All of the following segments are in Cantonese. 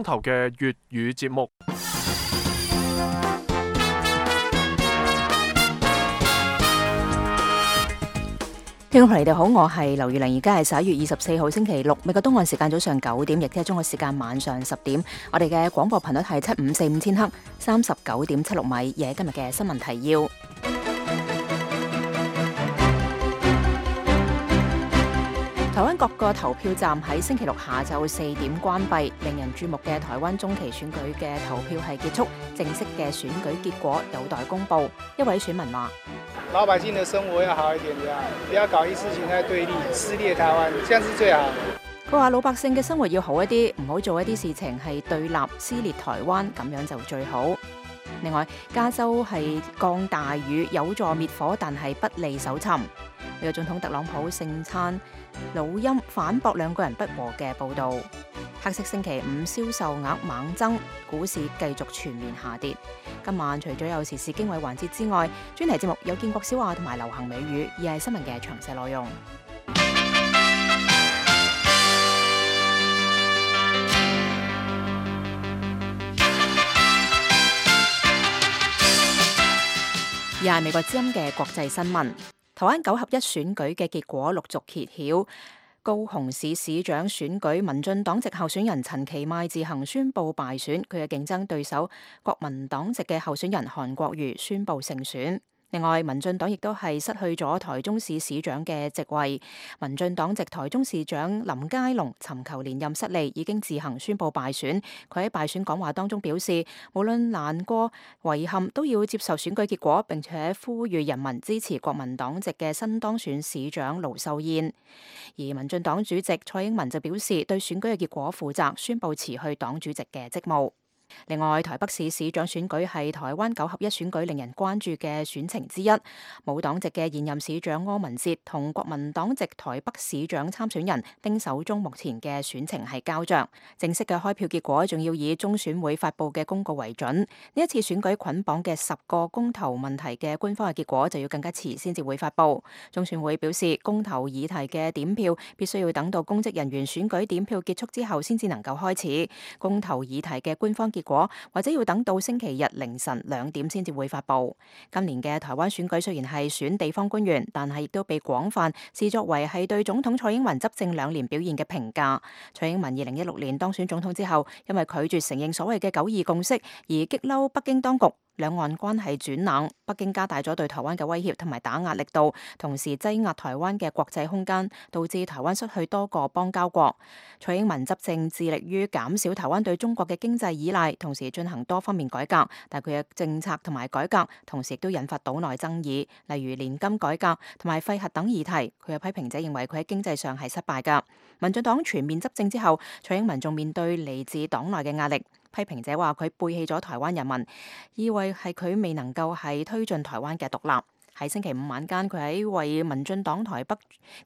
頭嘅粵語節目。聽眾朋友你哋好，我係劉月玲，而家係11月24號星期六，美國東岸時間早上9點，亦即係中國時間晚上10點。我哋嘅廣播頻率係7545000赫，39.76米。嘢今日嘅新聞提要：台灣各個投票站喺星期六下晝4點關閉，令人注目嘅台灣中期選舉嘅投票係結束，正式嘅選舉結果有待公布。一位選民話：老百姓的生活要好一點，不要搞一事情在對立，撕裂台灣，這樣是最好。佢話老百姓嘅生活要好一啲，唔好做一啲事情係對立撕裂台灣，咁樣就最好。另外，加州係降大雨，有助滅火，但係不利搜尋。美國總統特朗普盛餐錄音反駁兩個人不和嘅報導。黑色星期五銷售額猛增，股市繼續全面下跌。今晚除咗有時事經緯環節之外，專題節目有建國小話同埋流行美語，而係新聞嘅詳細內容。而係美國之音嘅國際新聞，台灣9合1選舉嘅結果陸續揭曉。高雄市市長選舉，民進黨籍候選人陳其邁自行宣布敗選，佢嘅競爭對手國民黨籍嘅候選人韓國瑜宣布勝選。另外，民進黨亦都係失去咗台中市市長嘅席位。民進黨籍台中市長林佳龍尋求連任失利，已經自行宣布敗選。佢喺敗選講話當中表示，無論難過遺憾都要接受選舉結果，並且呼籲人民支持國民黨籍嘅新當選市長盧秀燕。而民進黨主席蔡英文就表示對選舉嘅結果負責，宣布辭去黨主席嘅職務。另外，台北市市長選舉係台灣9合1選舉令人關注嘅選情之一。無黨籍嘅現任市長柯文哲同國民黨籍台北市長參選人丁守中目前嘅選情係膠着。正式嘅開票結果仲要以中選會發布嘅公告為準。呢一次選舉捆綁嘅10個公投問題嘅官方嘅結果就要更加遲先至會發布。中選會表示，公投議題嘅點票必須要等到公職人員選舉點票結束之後先至能夠開始。公投議題嘅官方結果或者要等到星期日凌晨2點先至會發布。今年嘅台灣選舉雖然係選地方官員，但係亦都被廣泛視作為係對總統蔡英文執政2年表現嘅評價。蔡英文2016年當選總統之後，因為拒絕承認所謂嘅9·2共識而激嬲北京當局，兩岸關係轉冷，北京加大咗對台灣嘅威脅同埋打壓力度，同時擠壓台灣嘅國際空間，導致台灣失去多個邦交國。蔡英文執政致力於減少台灣對中國嘅經濟依賴，同時進行多方面改革，但佢嘅政策同埋改革同時亦都引發島內爭議，例如年金改革同埋廢核等議題。佢嘅批評者認為佢喺經濟上係失敗㗎。民進黨全面執政之後，蔡英文仲面對嚟自黨內嘅壓力。批評者話佢背棄咗台灣人民，以為係佢未能夠係推進台灣嘅獨立。喺星期五晚間，佢喺為民進黨台北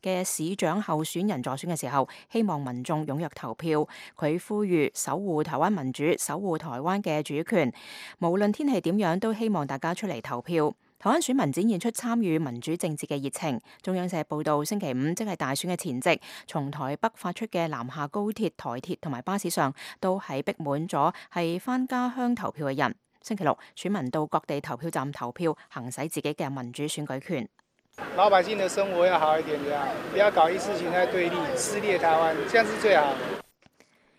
嘅市長候選人助選嘅時候，希望民眾踴躍投票。佢呼籲守護台灣民主，守護台灣嘅主權，無論天氣點樣，都希望大家出嚟投票。台灣選民展現出參與民主政治嘅熱情。中央社報道，星期五即係大選嘅前夕，從台北發出嘅南下高鐵、台鐵同埋巴士上，都係逼滿咗係返家鄉投票嘅人。星期六，選民到各地投票站投票，行使自己嘅民主選舉權。老百姓的生活要好一點，不要搞一事情在對立，撕裂台灣，這樣是最好。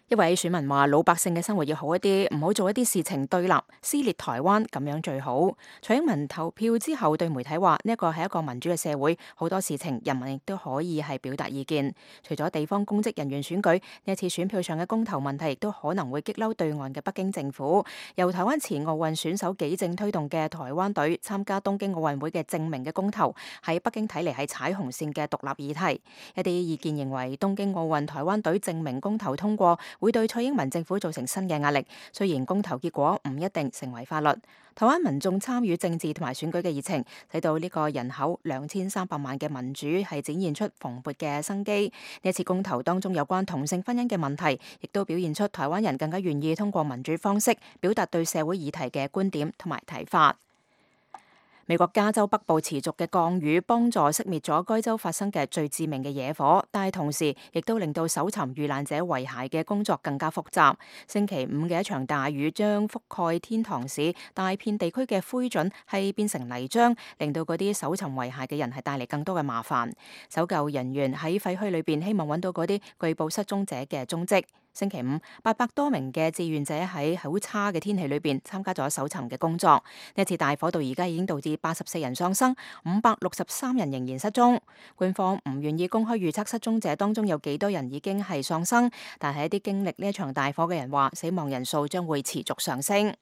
一位選民話：老百姓嘅生活要好一啲，唔好做一啲事情對立、撕裂台灣，咁樣最好。蔡英文投票之後對媒體話：呢一個係一個民主嘅社會，好多事情人民亦都可以係表達意見。除咗地方公職人員選舉，呢一次選票上嘅公投問題亦都可能會激嬲對岸嘅北京政府。由台灣前奧運選手紀政推動嘅台灣隊參加東京奧運會嘅證明嘅公投，喺北京睇嚟係踩紅線嘅獨立議題。一啲意見認為，東京奧運台灣隊證明公投通過，會對蔡英文政府造成新嘅壓力。雖然公投結果唔一定成為法律，台灣民眾參與政治同埋選舉嘅熱情，使到呢個人口2300萬嘅民主係展現出蓬勃嘅生機。呢一次公投當中有關同性婚姻嘅問題，亦都表現出台灣人更加願意通過民主方式表達對社會議題嘅觀點同埋睇法。美國加州北部持續嘅降雨幫助熄滅咗該州發生嘅最致命嘅野火，但係同時亦都令到搜尋遇難者遺骸嘅工作更加複雜。星期五嘅一場大雨將覆蓋天堂市大片地區嘅灰燼係變成泥漿，令到嗰啲搜尋遺骸嘅人係帶嚟更多嘅麻煩。搜救人員喺廢墟裏邊希望揾到嗰啲據報失蹤者嘅蹤跡。星期五，800多名嘅志願者喺好差嘅天氣裏邊參加咗搜尋嘅工作。呢次大火到而家已經導致84人喪生，563人仍然失蹤。官方唔願意公開預測失蹤者當中有幾多人已經係喪生，但係一啲經歷呢一場大火嘅人話，死亡人數將會持續上升。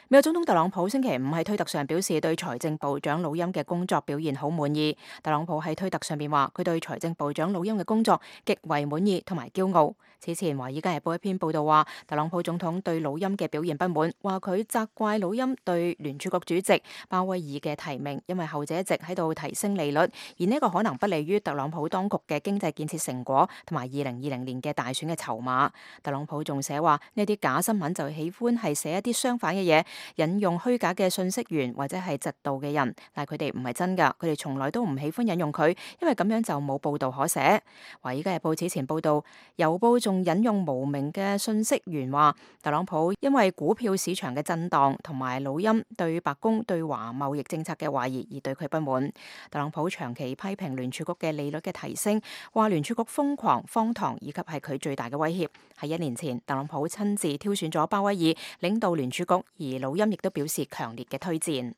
美國總統特朗普星期五喺推特上表示對財政部長魯欽嘅工作表現好滿意。特朗普喺推特上邊話，佢對財政部長魯欽嘅工作極為滿意同埋驕傲。此前《華爾街日報》一篇報道話，特朗普總統對魯欽嘅表現不滿，話佢責怪魯欽對聯儲局主席鮑威爾嘅提名，因為後者一直喺度提升利率，而呢個可能不利於特朗普當局嘅經濟建設成果同埋2020年嘅大選嘅籌碼。特朗普仲寫話，呢啲假新聞就喜歡係寫一啲相反嘅嘢，引用虛假嘅信息源或者係嫉妒嘅人，但係佢哋唔係真噶，佢哋從來都唔喜歡引用佢，因為咁樣就冇報道可寫。華爾街日報此前報道，郵報仲引用無名嘅信息源話，特朗普因為股票市場嘅震盪同埋魯欽對白宮對華貿易政策嘅懷疑而對佢不滿。特朗普長期批評聯儲局嘅利率嘅提升，話聯儲局瘋狂、荒唐以及係佢最大嘅威脅。喺1年前，特朗普親自挑選咗鮑威爾領導聯儲局，而魯欽亦都表示強烈嘅推薦。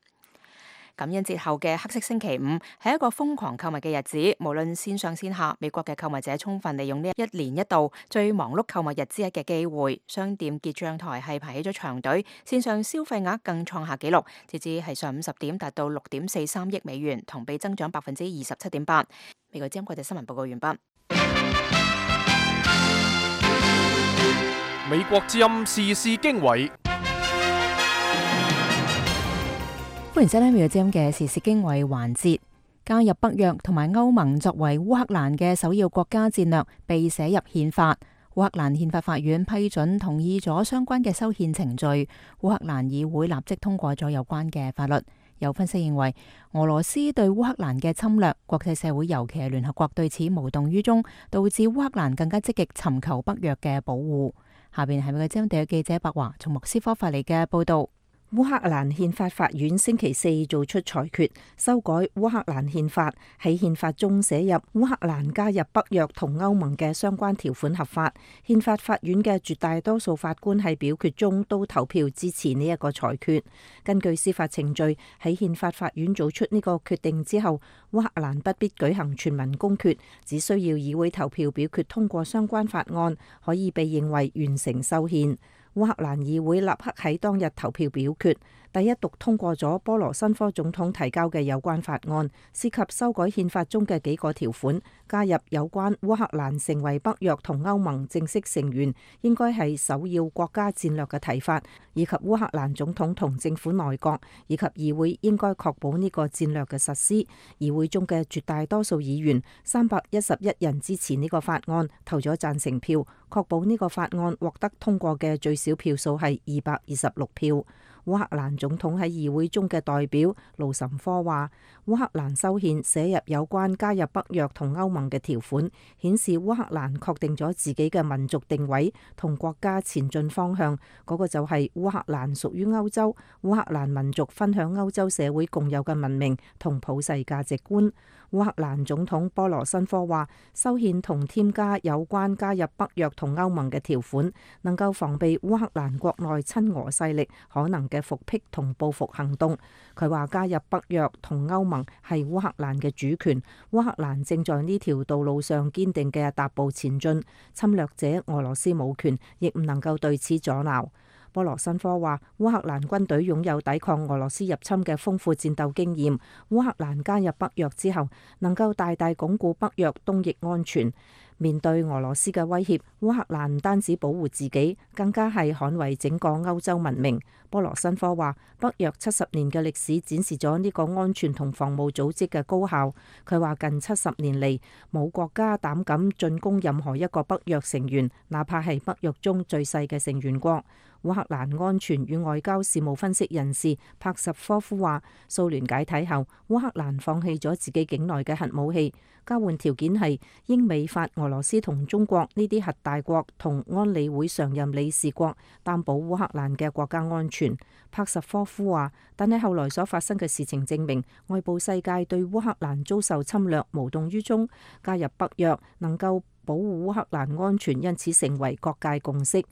感恩節後嘅黑色星期五係一個瘋狂購物嘅日子，無論線上線下，美國嘅購物者充分利用呢一年一度最忙碌購物日之一嘅機會。商店結賬台係排起咗長隊，線上消費額更創下紀錄，截至係上午10點達到6.43億美元，同比增長27.8%。美國之音國際新聞報告完畢。美國之音時事經緯。歡迎收聽美國之音嘅時事經緯環節。加入北約同埋歐盟作為烏克蘭嘅首要國家戰略被寫入憲法。烏克蘭憲法法院批准同意咗相關嘅修憲程序，烏克蘭議會立即通過咗有關嘅法律。有分析認為，俄羅斯對烏克蘭嘅侵略，國際社會尤其係聯合國對此無動於衷，導致烏克蘭更加積極尋求北約嘅保護。下邊係美國之音地嘅記者白華從莫斯科發嚟嘅報道。烏克蘭憲法法院星期四做出裁決，修改烏克蘭憲法，喺憲法中寫入烏克蘭加入北約同歐盟嘅相關條款合法。憲法法院嘅絕大多數法官喺表決中都投票支持呢一個裁決。根據司法程序，喺憲法法院做出呢個決定之後，烏克蘭不必舉行全民公決，只需要議會投票表決通過相關法案，可以被認為完成修憲。烏克蘭議會立刻喺當日投票表決，第一讀通過咗波羅申科總統提交嘅有關法案，涉及修改憲法中嘅幾個條款，加入有關烏克蘭成為北約同歐盟正式成員應該係首要國家戰略嘅提法，以及烏克蘭總統同政府內閣以及議會應該確保呢個戰略嘅實施。議會中嘅絕大多數議員311人支持呢個法案，投咗贊成票，確保呢個法案獲得通過嘅最少票數係226票。烏克蘭總統喺議會中嘅代表盧什科話，烏克蘭修憲寫入有關加入北約同歐盟嘅條款，顯示烏克蘭確定咗自己嘅民族定位同國家前進方向，嗰個就係烏克蘭屬於歐洲，烏克蘭民族分享歐洲社會共有嘅文明同普世價值觀。烏克蘭總統波羅申科話，修憲同添加有關加入北約同歐盟嘅條款，能夠防備烏克蘭國內親俄勢力可能嘅復辟同報復行動。佢話加入北約同歐盟係烏克蘭嘅主權，烏克蘭正在呢條道路上堅定嘅踏步前進，侵略者俄羅斯冇權，亦唔能夠對此阻撓。波羅申科話，烏克蘭軍隊擁有抵抗俄羅斯入侵嘅豐富戰鬥經驗。烏克蘭加入北約之後，能夠大大鞏固北約東翼安全。面對俄羅斯嘅威脅，烏克蘭唔單止保護自己，更加係捍衛整個歐洲文明。波羅申科話，北約70年嘅歷史展示咗呢個安全同防務組織嘅高效。佢話近70年嚟，冇國家膽敢進攻任何一個北約成員，哪怕係北約中最細嘅成員國。烏克蘭安全與外交事務分析人士帕什科夫話，蘇聯解體後，烏克蘭放棄咗自己境內嘅核武器，交換條件係英美法俄羅斯同中國呢啲核大國同安理會常任理事國擔保烏克蘭嘅國家安全。帕什科夫話，但係後來所發生嘅事情證明，外部世界對烏克蘭遭受侵略無動於衷，加入北約能夠保護烏克蘭安全，因此成為各界共識。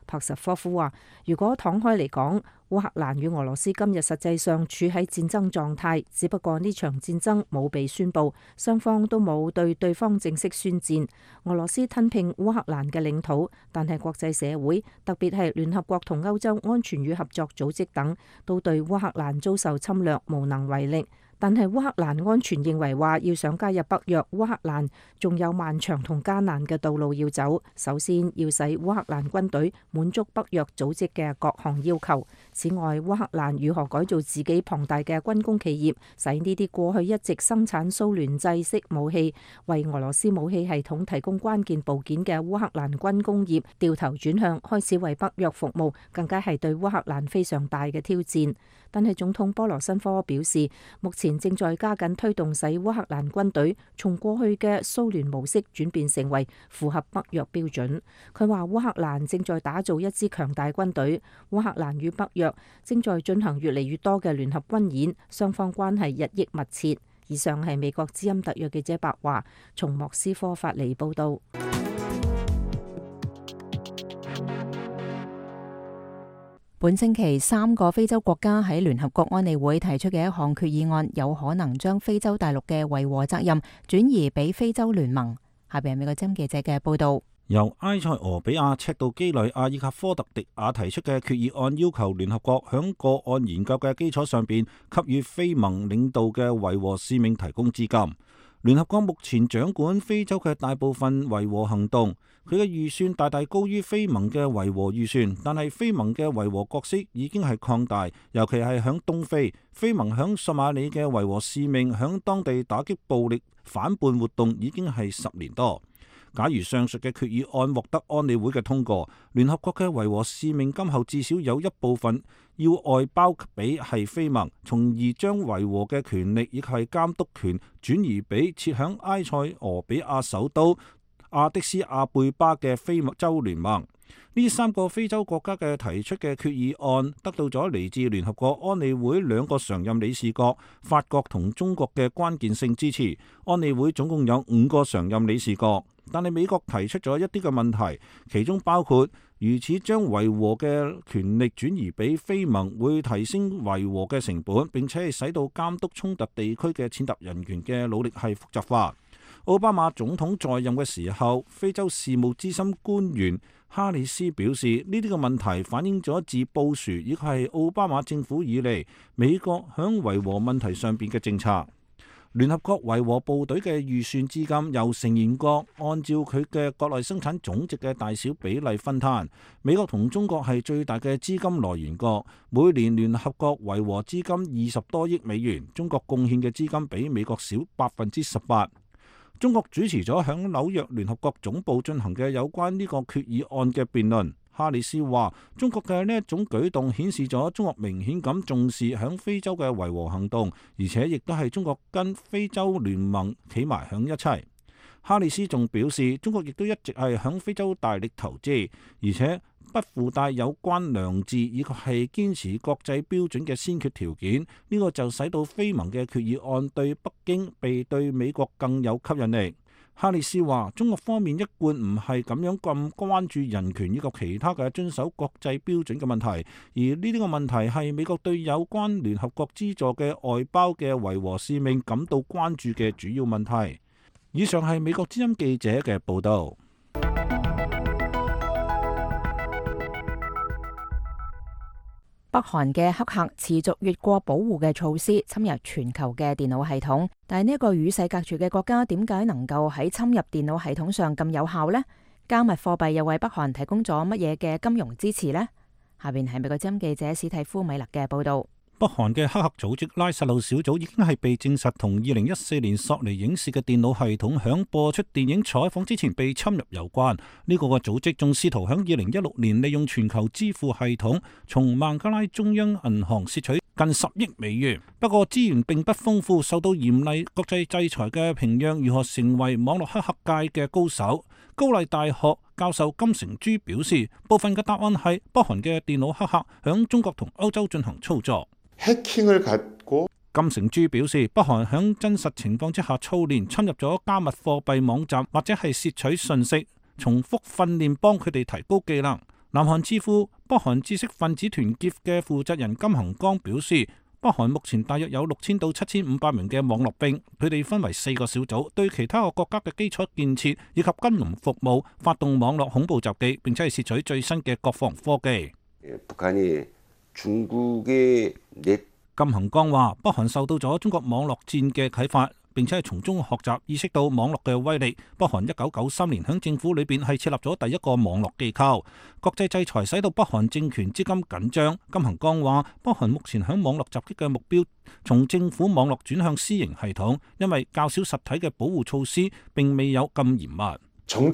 帕什科夫話，如果敞開嚟講，烏克蘭與俄羅斯今日實際上處喺戰爭狀態，只不過呢場戰爭冇被宣佈，雙方都冇對對方正式宣戰。俄羅斯吞併烏克蘭嘅領土，但係國際社會，特別係聯合國同歐洲安全與合作組織等，都對烏克蘭遭受侵略無能為力。但係烏克蘭安全認為話，要想加入北約，烏克蘭仲有漫長同艱難嘅道路要走。首先要使烏克蘭軍隊滿足北約組織嘅各項要求。此外，烏克蘭如何改造自己龐大嘅軍工企業，使呢啲過去一直生產蘇聯製式武器，為俄羅斯武器系統提供關鍵部件嘅烏克蘭軍工業掉頭轉向，開始為北約服務，更加係對烏克蘭非常大嘅挑戰。但係總統波羅申科表示，目前正在加緊推動使烏克蘭軍隊從過去嘅蘇聯模式轉變成為符合北約標準。佢話烏克蘭正在打造一支強大軍隊，烏克蘭與北約正在進行越嚟越多嘅聯合軍演，雙方關係日益密切。以上係美國之音特約記者白華從莫斯科發嚟報道。本星期3個非洲國家喺聯合國安理會提出嘅一項決議案，有可能將非洲大陸嘅維和責任轉移俾非洲聯盟。下邊係美國之音記者嘅報道。由埃塞俄比亞、赤道基里亞以及科特迪瓦提出嘅決議案，要求聯合國響個案研究嘅基礎上邊，給予非盟領導嘅維和使命提供資金。聯合國目前掌管非洲嘅大部分維和行動，佢嘅預算大大高於非盟嘅維和預算，但係非盟嘅維和角色已經係擴大，尤其係響東非，非盟響索馬里嘅維和使命響當地打擊暴力反叛活動已經係10年多。假如上述嘅決議案獲得安理會嘅通過，聯合國嘅維和使命今後至少有一部分要外包俾係非盟，從而將維和嘅權力以及係監督權轉移俾設響埃塞俄比亞首都阿迪斯阿貝巴嘅非洲聯盟。呢3個非洲國家嘅提出嘅決議案得到咗嚟自聯合國安理會2個常任理事國法國同中國嘅關鍵性支持。安理會總共有5個常任理事國，但係美國提出咗一啲嘅問題，其中包括如此將維和嘅權力轉移俾非盟，會提升維和嘅成本，並且係使到監督衝突地區嘅踐踏人權嘅努力係複雜化。奧巴馬總統在任嘅時候，非洲事務資深官員哈里斯表示，呢啲嘅問題反映咗自布殊以及係奧巴馬政府以嚟美國響維和問題上邊嘅政策。聯合國維和部隊嘅預算資金由成員國按照佢嘅國內生產總值嘅大小比例分攤，美國同中國係最大嘅資金來源國，每年聯合國維和資金20多億美元，中國貢獻嘅資金比美國少18%。中國主持咗響紐約聯合國總部進行嘅有關呢個決議案嘅辯論。哈里斯話：中國嘅呢一種舉動顯示咗中國明顯咁重視響非洲嘅維和行動，而且亦都係中國跟非洲聯盟企埋響一齊。哈里斯仲表示，中國亦都一直係響非洲大力投資，而且不附帶有關良知以及係堅持國際標準嘅先決條件。呢個就使到非盟嘅決議案對北京比對美國更有吸引力。哈里斯話：中國方面一貫唔係咁樣咁關注人權以及其他嘅遵守國際標準嘅問題，而呢啲個問題係美國對有關聯合國資助嘅外包嘅維和使命感到關注嘅主要問題。以上係美國之音記者嘅報道。北韓嘅黑客持續越過保護嘅措施，侵入全球嘅電腦系統。但係呢一個與世隔絕嘅國家，點解能夠喺侵入電腦系統上咁有效呢？加密貨幣又為北韓提供咗乜嘢嘅金融支持呢？下邊係美國之音記者史蒂夫米勒嘅報道。北韓嘅黑客組織拉薩路小組已經係被證實同2014年索尼影視嘅電腦系統響播出電影採訪之前被侵入有關。呢個組織仲試圖響2016年利用全球支付系統從孟加拉中央銀行竊取近10億美元。不過資源並不豐富，受到嚴厲國際制裁嘅平壤如何成為網絡黑客界嘅高手？高麗大學教授金成珠表示，部分嘅答案係北韓嘅電腦黑客響中國同歐洲進行操作。金成珠表示，北韓響真實情況之下操練，侵入咗加密貨幣網站或者係竊取信息，重複訓練幫佢哋提高技能。南韓智庫北韓知識分子團結嘅負責人金恒光表示，北韓目前大約有6000到7500名嘅網絡兵，佢哋分為4個小組，對其他個國家嘅基礎建設以及金融服務發動網絡恐怖襲擊，並且係竊取最新嘅國防科技。金恒光話，北韓受到咗中國網絡戰嘅啟發，並且係從中學習，意識到網絡嘅威力。北韓1993年響政府裏邊係設立咗第一個網絡機構。國際制裁使到北韓政權資金緊張。金恒光話，北韓目前響網絡襲擊嘅目標從政府網絡轉向私營系統，因為較少實體嘅保護措施並未有咁嚴密。金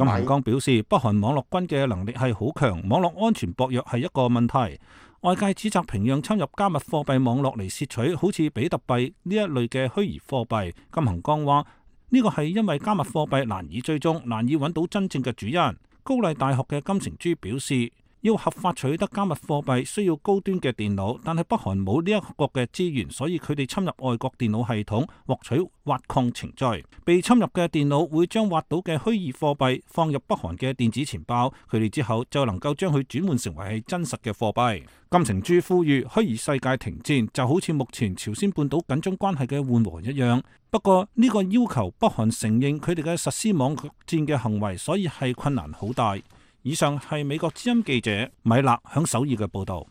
恒光表示，北韓網絡軍嘅能力係好強，網絡安全薄弱係一個問題。外界指責平壤侵入加密貨幣網絡嚟竊取好似比特幣呢一類嘅虛擬貨幣。金恒光話，呢個係因為加密貨幣難以追蹤，難以揾到真正嘅主人。高麗大學嘅金成珠表示，要合法取得加密貨幣需要高端嘅電腦，但係北韓冇呢一個嘅資源，所以佢哋侵入外國電腦系統獲取挖礦程序。被侵入嘅電腦會將挖到嘅虛擬貨幣放入北韓嘅電子錢包，佢哋之後就能夠將佢轉換成為係真實嘅貨幣。金成珠呼籲虛擬世界停戰，就好似目前朝鮮半島緊張關係嘅緩和一樣。不過呢個要求北韓承認佢哋嘅實施網絡戰嘅行為，所以係困難好大。以上係美國之音記者米勒響首爾嘅報道。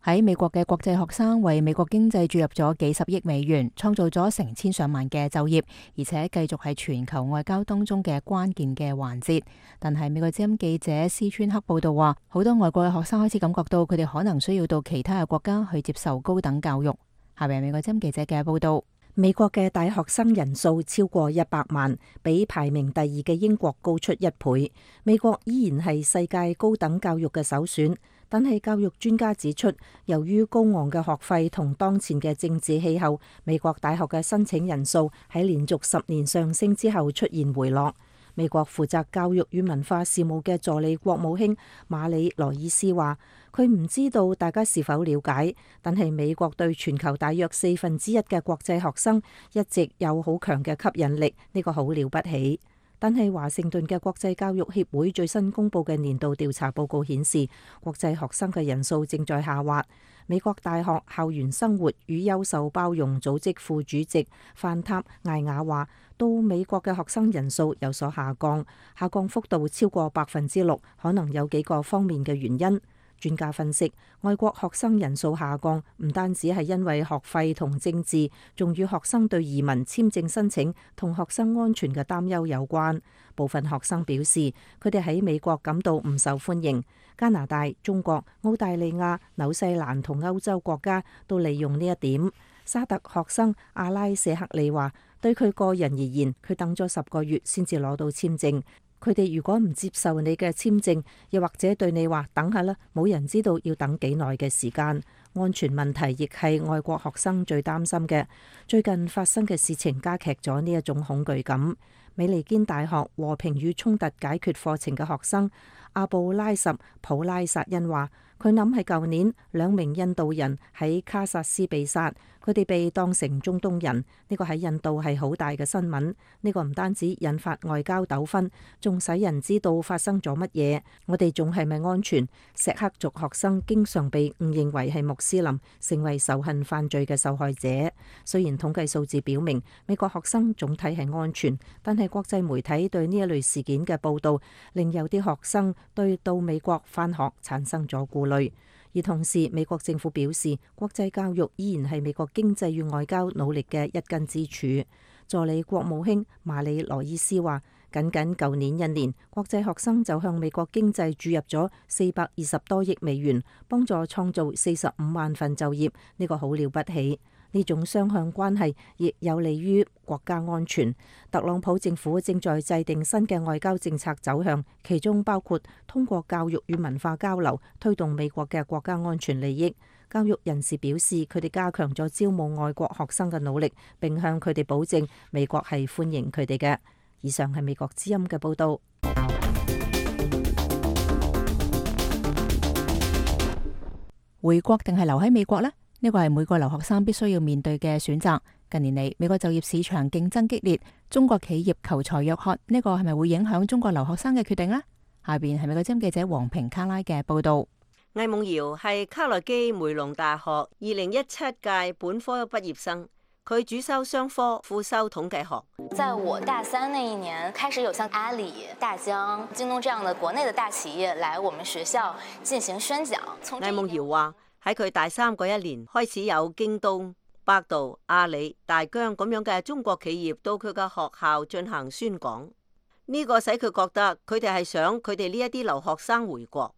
喺美國嘅國際學生為美國經濟注入咗幾十億美元，創造咗成千上萬嘅就業，而且繼續係全球外交當中嘅關鍵嘅環節。但係美國之音記者施川克報道話，好多外國嘅學生開始感覺到佢哋可能需要到其他嘅國家去接受高等教育。下面係美國之音記者嘅報道。美國嘅大學生人數超過100萬，比排名第2嘅英國高出1倍。美國依然係世界高等教育嘅首選，但係教育專家指出，由於高昂嘅學費同當前嘅政治氣候，美國大學嘅申請人數喺連續10年上升之後出現回落。美國負責教育與文化事務嘅助理國務卿馬里羅伊斯話，佢唔知道大家是否了解，但係美國對全球大約1/4嘅國際學生一直有好強嘅吸引力，呢個好了不起。但係華盛頓嘅國際教育協會最新公布嘅年度調查報告顯示，國際學生嘅人數正在下滑。美國大學校園生活與優秀包容組織副主席范塔艾雅話，到美國嘅學生人數有所下降，下降幅度超過6%，可能有幾個方面嘅原因。專家分析，外國學生人數下降唔單止係因為學費同政治，仲與學生對移民簽證申請同學生安全嘅擔憂有關。部分學生表示，佢哋喺美國感到唔受歡迎。加拿大、中國、澳大利亞、紐西蘭同歐洲國家都利用呢一點。沙特學生阿拉舍克里話，對佢個人而言，佢等咗10個月先至攞到簽證。佢哋如果唔接受你嘅簽證，又或者對你話等下啦，冇人知道要等幾耐嘅時間。安全問題亦係外國學生最擔心嘅。最近發生嘅事情加劇咗呢一種恐懼感。美利堅大學和平與衝突解決課程嘅學生阿布拉什普拉薩恩話，佢諗係舊年2名印度人喺卡薩斯被殺，佢哋被當成中東人，呢個喺印度係好大嘅新聞。呢個唔單止引發外交糾紛，仲使人知道發生咗乜嘢。我哋仲係咪安全？錫克族學生經常被誤認為係穆斯林，成為仇恨犯罪嘅受害者。雖然統計數字表明美國學生總體係安全，但係國際媒體對呢一類事件嘅報導，令有啲學生對到美國返學產生咗顧慮。而同時，美國政府表示，國際教育依然係美國經濟與外交努力嘅一根支柱。助理國務卿馬里羅伊斯話，僅舊年一年，國際學生就向美國經濟注入咗420多億美元，幫助創造45萬份就業，呢個好了不起。呢種雙向關係亦有利於國家安全。特朗普政府正在制定新嘅外交政策走向，其中包括通過教育與文化交流，推動美國嘅國家安全利益。教育人士表示，佢哋加強咗招募外國學生嘅努力，並向佢哋保證美國係歡迎佢哋嘅。以上係美國之音嘅報導。回國定係留喺美國呢？呢個係每個留學生必須要面對嘅選擇。近年嚟，美國就業市場競爭激烈，中國企業求才若渴，呢個係咪會影響中國留學生嘅決定呢？下邊係美國之音記者黃平卡拉嘅報導。魏夢瑤係卡內基梅隆大學2017屆本科畢業生，佢主修商科，副修統計學。在我大三那一年，開始有像阿里、大疆、京東這樣的國內的大企業來我們學校進行宣講。魏夢瑤話：喺佢大三嗰一年，開始有京東、百度、阿里、大疆咁樣嘅中國企業到佢嘅學校進行宣講。呢個使佢覺得佢哋係想佢哋呢一啲留學生回國。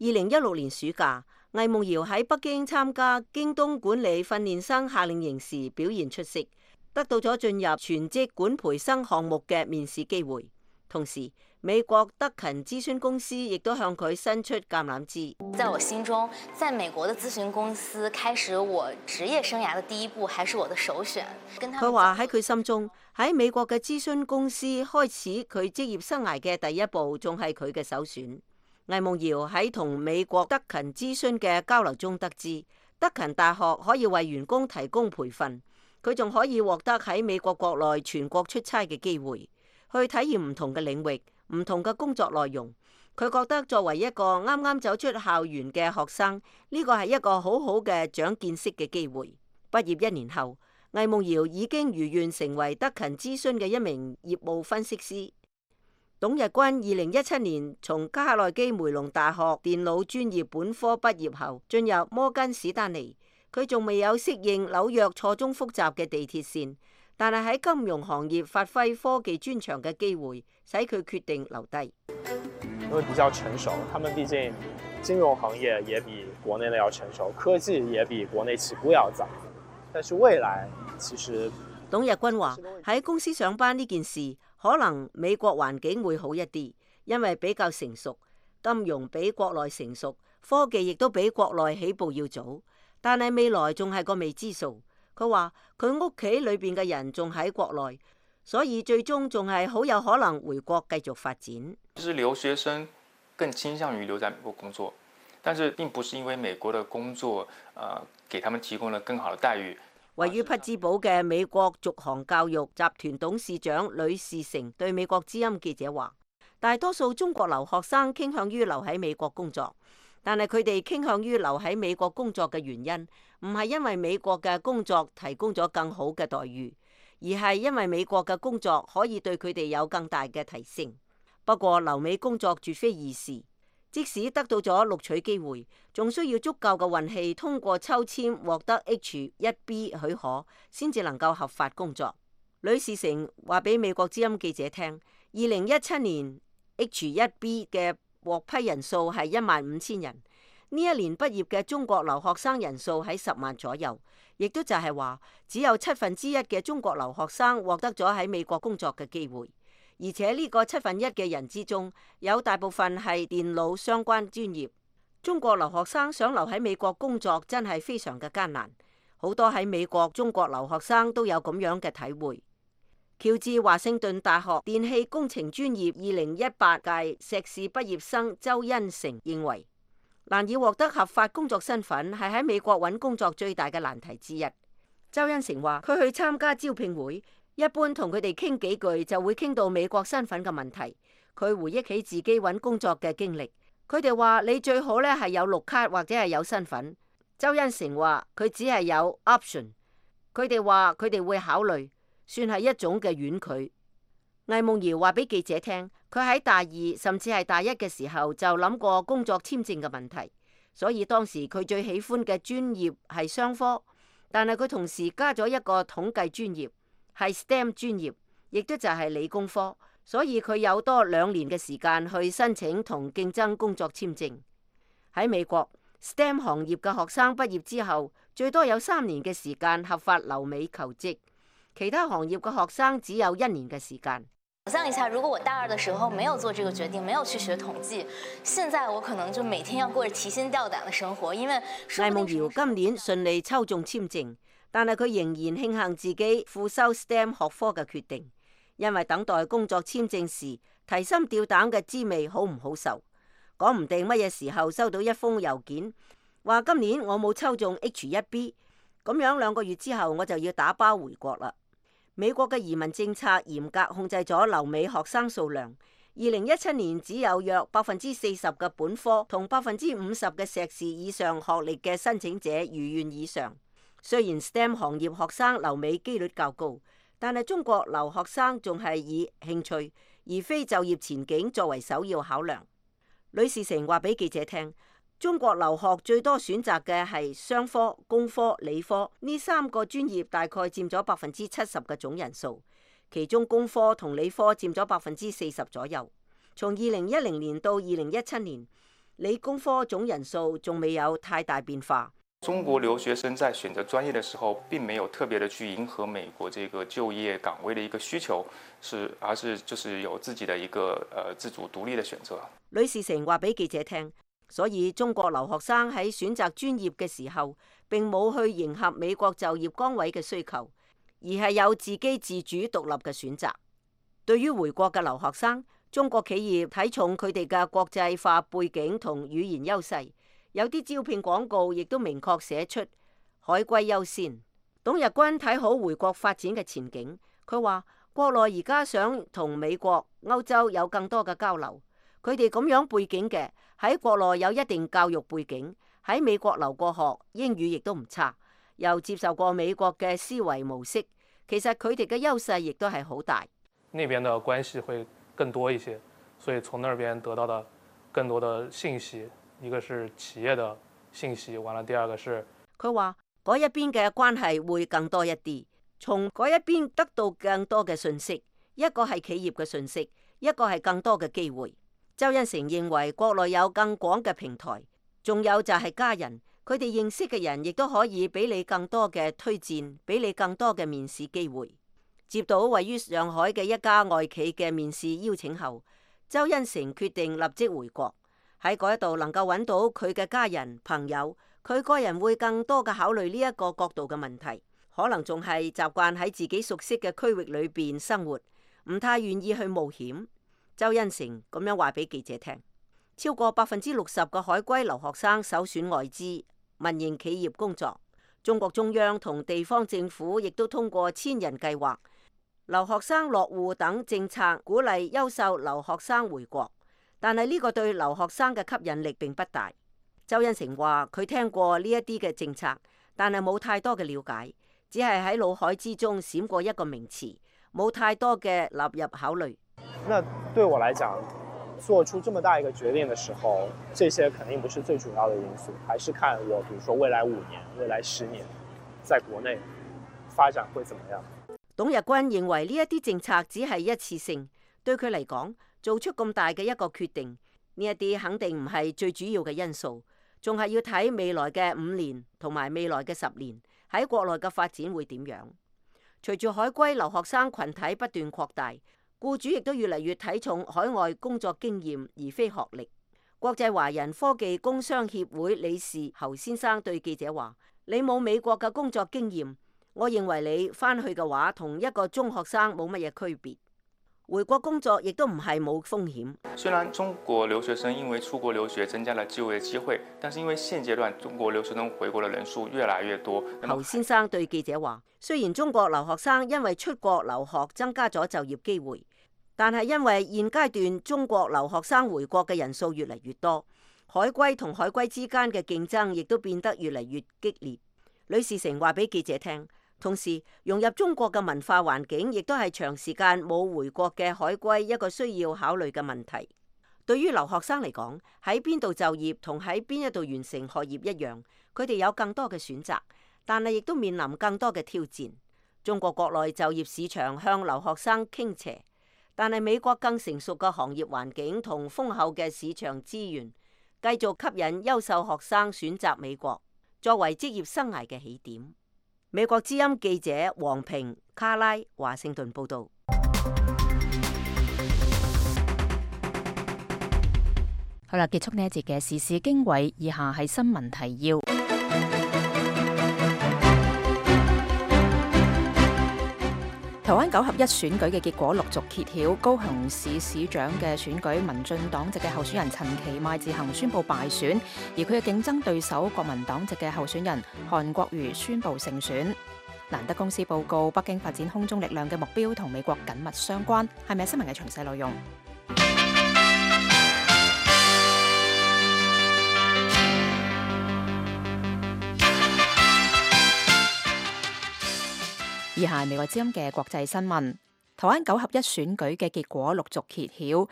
2016年暑假，魏夢瑤喺北京參加京東管理訓練生夏令營時表現出色，得到咗進入全職管培生項目嘅面試機會。同時，美國德勤諮詢公司亦都向佢伸出橄欖枝。在我心中，在美國的諮詢公司開始我職業生涯的第一步，還是我的首選。佢話喺佢心中，喺美國嘅諮詢公司開始佢職業生涯嘅第一步，仲係佢嘅首選。魏夢瑤喺同美國德勤諮詢嘅交流中得知，德勤大學可以為員工提供培訓，佢仲可以獲得喺美國國內全國出差嘅機會，去體驗唔同嘅領域、唔同嘅工作內容。佢覺得作為一個啱啱走出校園嘅學生，呢個係一個好好嘅長見識嘅機會。畢業1年後，魏夢瑤已經如願成為德勤諮詢嘅一名業務分析師。董日君2017年從卡內基梅隆大學電腦專業本科畢業後，進入摩根史丹利。佢仲未有適應紐約錯綜複雜嘅地鐵線，但係喺金融行業發揮科技專長嘅機會，使佢決定留低。因為比較成熟，他們畢竟金融行業也比國內的要成熟，科技也比國內起步要早。但是未來其實，董日君話喺公司上班呢件事，可能美國環境會好一啲，因為比較成熟，金融比國內成熟，科技亦都比國內起步要早。但係未來仲係個未知數。佢話佢屋企裏邊嘅人仲喺國內，所以最終仲係好有可能回國繼續發展。就是留學生更傾向於留在美國工作，但是並不是因為美國的工作給他們提供了更好的待遇。位於匹茲堡嘅美國續航教育集團董事長呂士成對美國之音記者話：大多數中國留學生傾向於留喺美國工作，但係佢哋傾向於留喺美國工作嘅原因，唔係因為美國嘅工作提供咗更好嘅待遇，而係因為美國嘅工作可以對佢哋有更大嘅提升。不過留美工作絕非易事。即使得到咗錄取機會，仲需要足夠嘅運氣，通過抽籤獲得 H1B 許可，先至能夠合法工作。呂士成話俾美國之音記者聽，2017年 H1B 嘅獲批人數係15000人，呢一年畢業嘅中國留學生人數喺10萬左右，亦都就係話只有1/7嘅中國留學生獲得咗喺美國工作嘅機會。而且呢個1/7嘅人之中，有大部分係電腦相關專業。中國留學生想留喺美國工作真係非常嘅艱難。好多喺美國中國留學生都有咁樣嘅體會。喬治華盛頓大學電氣工程專業2018屆碩士畢業生周恩成認為，難以獲得合法工作身份係喺美國揾工作最大嘅難題之一。周恩成話：佢去參加招聘會，一般同佢哋傾幾句就會傾到美國身份嘅問題。佢回憶起自己揾工作嘅經歷，佢哋話你最好咧係有綠卡或者係有身份。周恩成話佢只係有 option， 佢哋話佢哋會考慮，算係一種嘅婉拒。魏夢瑤話俾記者聽，佢喺大二甚至係大一嘅時候就諗過工作簽證嘅問題，所以當時佢最喜歡嘅專業係商科，但係佢同時加咗一個統計專業。係 STEM 專業，亦都就係理工科，所以佢有多2年嘅時間去申請同競爭工作簽證。喺美國 STEM 行業嘅學生畢業之後，最多有3年嘅時間合法留美求職，其他行業嘅學生只有1年嘅時間。想象一下，如果我大2的時候沒有做這個決定，沒有去學統計，現在我可能就每天要過着提心吊膽的生活。因為魏夢瑤今年順利抽中簽證，但係佢仍然慶幸自己副修 STEM 學科嘅決定，因為等待工作簽證時提心吊膽嘅滋味好唔好受？講唔定乜嘢時候收到一封郵件，話今年我冇抽中 H1B， 咁樣2個月之後我就要打包回國啦。美國嘅移民政策嚴格控制咗留美學生數量，2017年只有約40%嘅本科同50%嘅碩士以上學歷嘅申請者如願以償。雖然 STEM 行業學生留美機率較高，但係中國留學生仲係以興趣而非就業前景作為首要考量。呂士成話俾記者聽，中國留學最多選擇嘅係商科、工科、理科呢3個專業，大概佔咗70%嘅總人數，其中工科同理科佔咗40%左右。從2010年到2017年，理工科總人數仲未有太大變化。中國留學生在選擇專業的時候，並沒有特別的去迎合美國這個就業崗位的一個需求，而是就是有自己的一個自主獨立的選擇。呂士成話俾記者聽。所以中國留學生喺選擇專業嘅時候，並冇去迎合美國就業崗位嘅需求，而係有自己自主獨立嘅選擇。對於回國嘅留學生，中國企業睇重佢哋嘅國際化背景同語言優勢，有啲招聘廣告亦都明確寫出海歸優先。董日軍睇好回國發展嘅前景，佢話國內而家想同美國、歐洲有更多嘅交流，佢哋咁樣背景嘅，喺國內有一定教育背景，喺美國留過學，英語亦都唔差，又接受過美國嘅思維模式，其實佢哋嘅優勢亦都係好大。那邊的關係會更多一些，所以從那邊得到的更多的信息，一個是企業的信息，完了第二個是佢話嗰一邊嘅關係會更多一啲，從嗰一邊得到更多嘅信息，一個係企業嘅信息，一個係更多嘅機會。周恩成認為國內有更廣嘅平台，仲有就係家人，佢哋認識嘅人亦都可以俾你更多嘅推薦，俾你更多嘅面試機會。接到位於上海嘅一家外企嘅面試邀請後，周恩成決定立即回國，喺嗰一度能夠揾到佢嘅家人朋友，佢個人會更多嘅考慮呢一個角度嘅問題，可能仲係習慣喺自己熟悉嘅區域裏邊生活，唔太願意去冒險。周恩成咁樣話俾記者聽，超過60%嘅海歸留學生首選外資、民營企業工作。中國中央同地方政府亦都通過千人計劃、留學生落戶等政策，鼓勵優秀留學生回國。但係呢個對留學生嘅吸引力並不大。周恩成話佢聽過呢一啲嘅政策，但係冇太多嘅了解，只係喺腦海之中閃過一個名詞，冇太多嘅納入考慮。那對我來講，做出這麼大一個決定的時候，這些肯定不是最主要的因素，還是看我，比如說未來5年、未來10年，在國內發展會怎麼樣。董日軍認為呢一啲政策只係一次性，對佢嚟講，做出咁大嘅一個決定，呢一啲肯定唔係最主要嘅因素，仲係要睇未來嘅5年同埋未來嘅10年喺國內嘅發展會點樣。隨住海歸留學生群體不斷擴大，僱主亦都越嚟越睇重海外工作經驗而非學歷。國際華人科技工商協會理事侯先生對記者話：你冇美國嘅工作經驗，我認為你翻去嘅話，同一個中學生冇乜嘢區別。回國工作亦都唔係冇風險。雖然中國留學生因為出國留學增加了就業機會，但是因為現階段中國留學生回國的人數越來越多。侯先生對記者話：雖然中國留學生因為出國留學增加咗就業機會，但係因為現階段中國留學生回國嘅人數越嚟越多，海歸同海歸之間嘅競爭亦都變得越嚟越激烈。呂士成話俾記者聽，同時融入中國嘅文化環境亦都係長時間冇回國嘅海歸一個需要考慮嘅問題。對於留學生嚟講，喺邊度就業同喺邊一度完成學業一樣，佢哋有更多嘅選擇，但係亦都面臨更多嘅挑戰。中國國內就業市場向留學生傾斜，但係美國更成熟嘅行業環境同豐厚嘅市場資源，繼續吸引優秀學生選擇美國作為職業生涯嘅起點。美國之音記者黃平、卡拉，華盛頓報道。好啦，結束呢一節嘅時事經緯，以下係新聞提要。台灣9合1選舉嘅結果陸續揭曉，高雄市市長嘅選舉，民進黨籍嘅候選人陳其邁自行宣布敗選，而佢嘅競爭對手國民黨籍嘅候選人韓國瑜宣布勝選。蘭德公司報告，北京發展空中力量嘅目標同美國緊密相關。係咪新聞嘅詳細內容？以下係美國之音嘅國際新聞。台灣9合1選舉嘅結果陸續揭曉，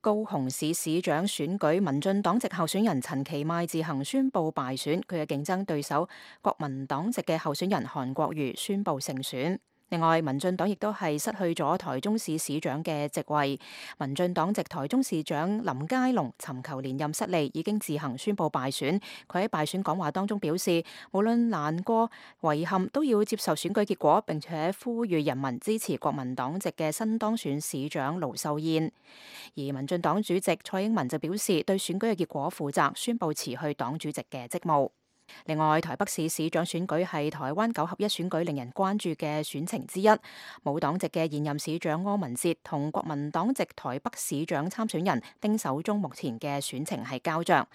高雄市市長選舉，民進黨籍候選人陳其邁自行宣布敗選，佢嘅競爭對手國民黨籍嘅候選人韓國瑜宣布勝選。另外，民進黨亦都係失去咗台中市市長嘅席位。民進黨籍台中市長林佳龍尋求連任失利，已經自行宣布敗選。佢喺敗選講話當中表示，無論難過、遺憾，都要接受選舉結果，並且呼籲人民支持國民黨籍嘅新當選市長盧秀燕。而民進黨主席蔡英文就表示，對選舉嘅結果負責，宣布辭去黨主席嘅職務。另外，台北市市長選舉係台灣9合1選舉令人關注嘅選情之一。無黨籍嘅現任市長柯文哲同國民黨籍台北市長參選人丁守中目前嘅選情係膠着。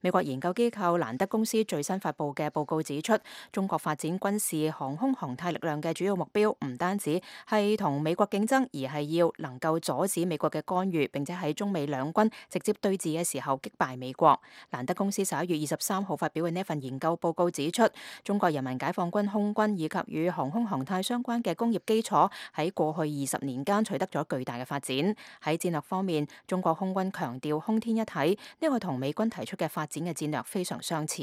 美國研究機構蘭德公司最新發布嘅報告指出，中國發展軍事航空航太力量嘅主要目標唔單止係同美國競爭，而係要能夠阻止美國嘅干預，並且喺中美兩軍直接對峙嘅時候擊敗美國。蘭德公司11月23號發表嘅呢份研究報告指出，中國人民解放軍空軍以及與航空航太相關嘅工業基礎喺過去20年間取得咗巨大嘅發展。喺戰略方面，中國空軍強調空天一體，呢個同美軍提出嘅發展嘅戰略非常相似。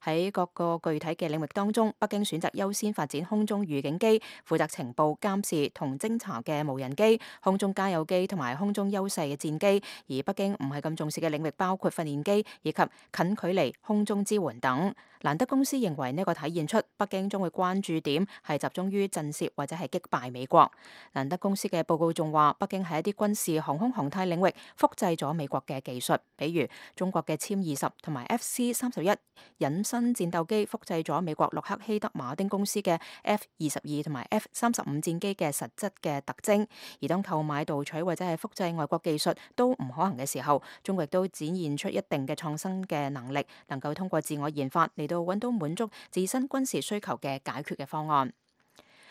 喺各個具體嘅領域當中，北京選擇優先發展空中預警機、負責情報監視同偵查嘅無人機、空中加油機同埋空中優勢嘅戰機。而北京唔係咁重視嘅領域包括訓練機以及近距離空中支援等。蘭德公司認為呢個體現出北京將會關注點係集中於震懾或者係擊敗美國。蘭德公司嘅報告仲話，北京喺一啲軍事航空航太領域複製咗美國嘅技術，比如中國嘅殲20同埋 FC-31隱身戰鬥機複製咗美國洛克希德馬丁公司嘅 F-22同埋 F-35戰機嘅實質嘅特徵。而當購買盜取或者係複製外國技術都唔可行嘅時候，中國亦都展現出一定嘅創新嘅能力，能夠通過自我研發嚟到揾到滿足自身軍事需求嘅解決嘅方案。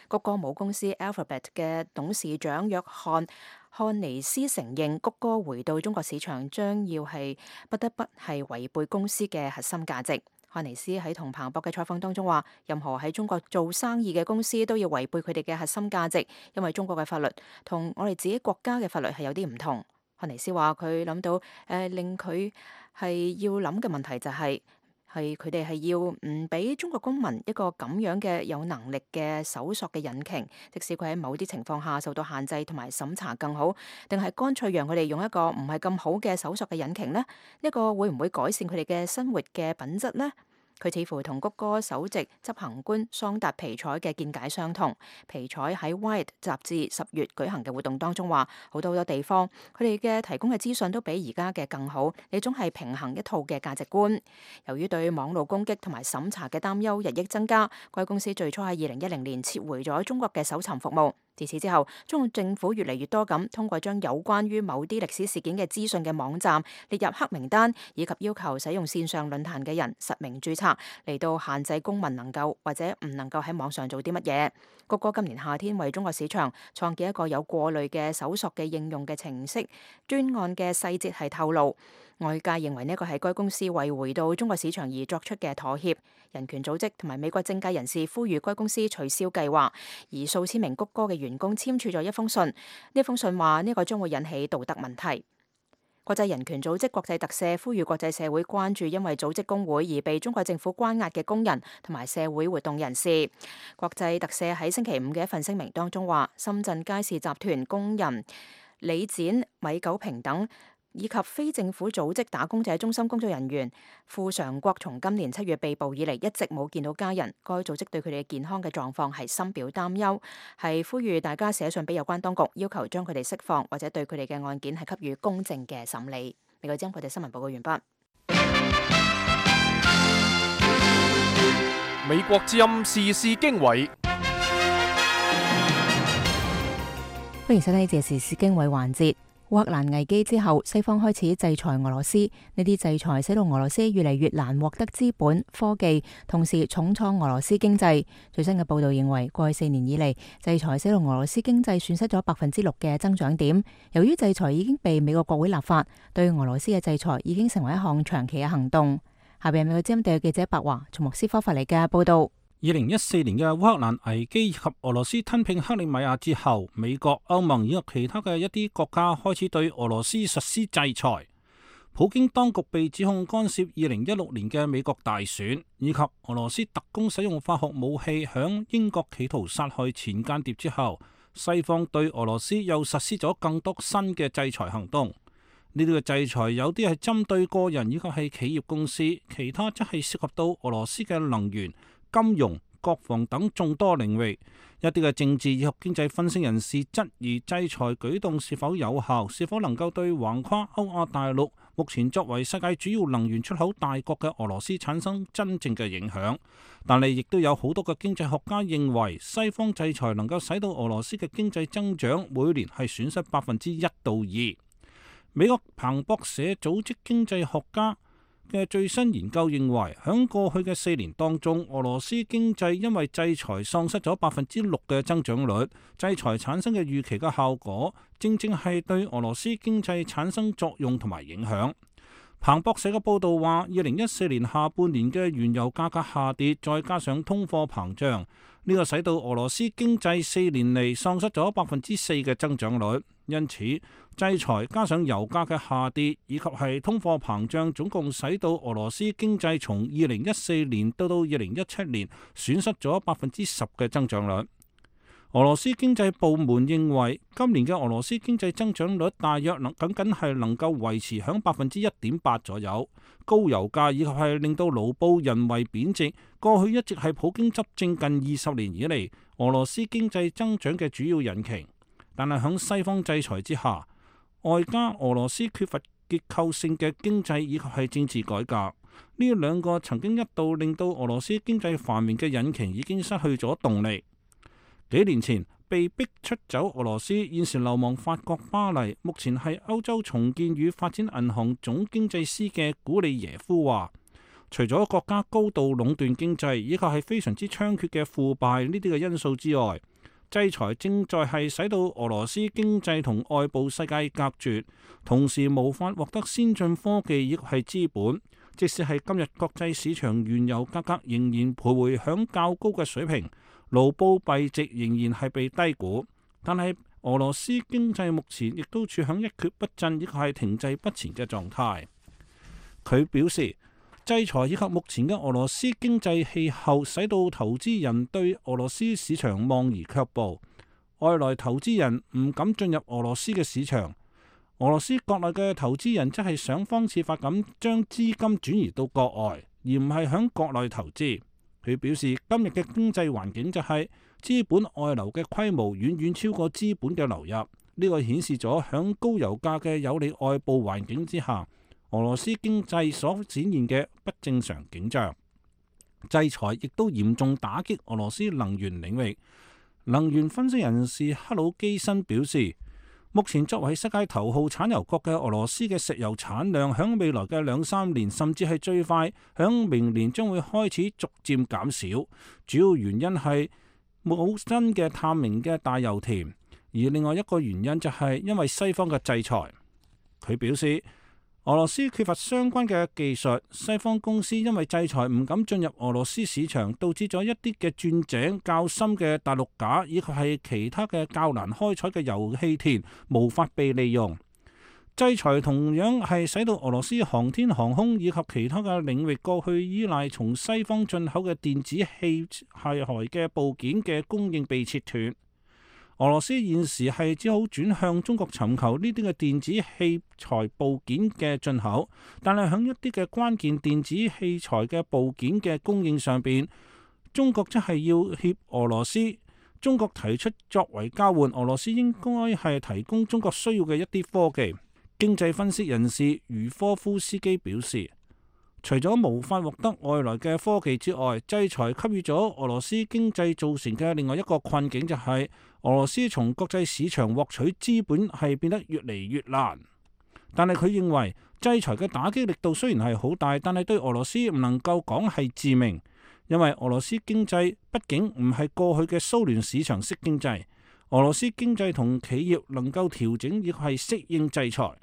谷歌母公司 Alphabet 嘅董事長約翰漢尼斯承認，谷歌回到中國市場將要係不得不係違背公司嘅核心價值。漢尼斯喺同彭博嘅採訪當中話，任何喺中國做生意嘅公司都要違背佢哋嘅核心價值，因為中國嘅法律同我哋自己國家嘅法律係有啲唔同。漢尼斯話佢諗到令佢係要諗嘅問題就係佢哋係要唔俾中國公民一個咁樣嘅有能力嘅搜索嘅引擎，即使佢喺某啲情況下受到限制同埋審查更好，定係乾脆讓佢哋用一個唔係咁好嘅搜索嘅引擎呢？呢個會唔會改善佢哋嘅生活嘅品質呢？佢似乎同谷歌首席執行官桑達皮采嘅見解相同。皮采喺《Wired》雜誌10月舉行嘅活動當中話，好多地方佢哋嘅提供嘅資訊都比而家嘅更好，呢種係平衡一套嘅價值觀。由於對網絡攻擊同埋審查嘅擔憂日益增加，該公司最初喺2010年撤回咗中國嘅搜尋服務。自此之後，中國政府越嚟越多咁通過將有關於某啲歷史事件嘅資訊嘅網站列入黑名單，以及要求使用線上論壇嘅人實名註冊，嚟到限制公民能夠或者唔能夠喺網上做啲乜嘢。谷歌今年夏天為中國市場創建一個有過濾嘅搜索嘅應用嘅程式，專案嘅細節係透露。外界認為呢個係該公司為回到中國市場而作出嘅妥協。人權組織同埋美國政界人士呼籲該公司取消計劃，而數千名谷歌嘅員工簽署咗一封信。呢封信話呢個將會引起道德問題。國際人權組織國際特赦呼籲國際社會關注因為組織工會而被中國政府關押嘅工人同埋社會活動人士。國際特赦喺星期五嘅一份聲明當中話，深圳佳士集團工人李展、米九平等以及非政府組織打工者中心工作人員傅常國從今年7月被捕以嚟一直冇見到家人，該組織對佢哋嘅健康嘅狀況係深表擔憂，係呼籲大家寫信俾有關當局，要求將佢哋釋放或者對佢哋嘅案件係給予公正嘅審理。美國之音國際新聞報告完畢。美國之音時事經緯，歡迎收睇呢節時事經緯環節。烏克蘭危機之後，西方開始制裁俄羅斯，呢啲制裁使到俄羅斯越嚟越難獲得資本、科技，同時重創俄羅斯經濟。最新嘅報道認為，過去4年以嚟，制裁使到俄羅斯經濟損失咗6%嘅增長點。由於制裁已經被美國國會立法，對俄羅斯嘅制裁已經成為一項長期嘅行動。下邊係美國之音特約記者白華從莫斯科發嚟嘅報道。2014年嘅烏克蘭危機以及俄羅斯吞併克里米亞之後，美國、歐盟以及其他嘅一啲國家開始對俄羅斯實施制裁。普京當局被指控干涉2016年嘅美國大選，以及俄羅斯特工使用化學武器響英國企圖殺害前間諜之後，西方對俄羅斯又實施咗更多新嘅制裁行動。呢啲嘅制裁有啲係針對個人以及係企業公司，其他則係涉及到俄羅斯嘅能源、金融、國防等眾多領域。一啲嘅政治以及經濟分析人士質疑制裁舉動是否有效，是否能夠對橫跨歐亞大陸目前作為世界主要能源出口大國嘅俄羅斯產生真正嘅影響。但係亦都有好多嘅經濟學家認為，西方制裁能夠使到俄羅斯嘅經濟增長每年係損失1%到2%。美國彭博社組織經濟學家嘅最新研究認為，喺過去嘅4年當中，俄羅斯經濟因為制裁喪失咗6%嘅增長率。制裁產生嘅預期嘅效果，正正係對俄羅斯經濟產生作用同埋影響。彭博社嘅報道話，2014年下半年嘅原油價格下跌，再加上通貨膨脹，呢個使到俄羅斯經濟4年嚟喪失咗4%嘅增長率。因此，制裁加上油價嘅下跌，以及係通貨膨脹，總共使到俄羅斯經濟從2014年到2017年損失咗10%嘅增長率。俄羅斯經濟部門認為，今年嘅俄羅斯經濟增長率大約僅僅係能夠維持喺1.8%左右。高油價以及係令到盧布人為貶值，過去一直係普京執政近20年以嚟俄羅斯經濟增長嘅主要引擎。但係喺西方制裁之下，外加俄羅斯缺乏結構性嘅經濟以及係政治改革，呢兩個曾經一度令到俄羅斯經濟繁榮嘅引擎已經失去咗動力。幾年前被逼出走俄羅斯，現時流亡法國巴黎，目前係歐洲重建與發展銀行總經濟師嘅古利耶夫話，除咗國家高度壟斷經濟以及係非常之猖獗嘅腐敗呢啲嘅因素之外，制裁正在係使到俄羅斯經濟同外部世界隔絕，同時無法獲得先進科技亦係資本。即使係今日國際市場原油價格仍然徘徊響較高嘅水平，盧布幣值仍然係被低估，但係俄羅斯經濟目前亦都處響一蹶不振亦係停滯不前嘅狀態。佢表示，制裁以及目前嘅俄羅斯經濟氣候，使到投資人對俄羅斯市場望而卻步，外來投資人唔敢進入俄羅斯嘅市場。俄羅斯國內嘅投資人則係想方設法咁將資金轉移到國外，而唔係響國內投資。佢表示，今日嘅經濟環境就係資本外流嘅規模遠遠超過資本嘅流入，呢個顯示咗響高油價嘅有利外部環境之下，俄羅斯經濟所展現嘅不正常景象。制裁亦都嚴重打擊俄羅斯能源領域。能源分析人士克魯基申表示，目前作為世界頭號產油國嘅俄羅斯嘅石油產量，響未來嘅2-3年，甚至係最快響明年將會開始逐漸減少。主要原因係冇新嘅探明嘅大油田，而另外一個原因就係因為西方嘅制裁。佢表示，俄羅斯缺乏相關嘅技術，西方公司因為制裁唔敢進入俄羅斯市場，導致咗一啲嘅鑽井較深嘅大陸架以及係其他嘅較難開採嘅油氣田無法被利用。制裁同樣係使到俄羅斯航天航空以及其他嘅領域過去依賴從西方進口嘅電子器械嘅部件嘅供應被切斷。俄羅斯現時係只好轉向中國尋求呢啲嘅電子器材部件嘅進口，但係喺一啲嘅關鍵電子器材嘅部件嘅供應上邊，中國則係要挾俄羅斯。中國提出作為交換，俄羅斯應該係提供中國需要嘅一啲科技。經濟分析人士茹科夫斯基表示，除咗無法獲得外來嘅科技之外，制裁給予咗俄羅斯經濟造成嘅另外一個困境，就係俄羅斯從國際市場獲取資本係變得越嚟越難。但係佢認為制裁嘅打擊力度雖然係好大，但係對俄羅斯唔能夠講係致命，因為俄羅斯經濟畢竟唔係過去嘅蘇聯市場式經濟，俄羅斯經濟同企業能夠調整亦係適應制裁。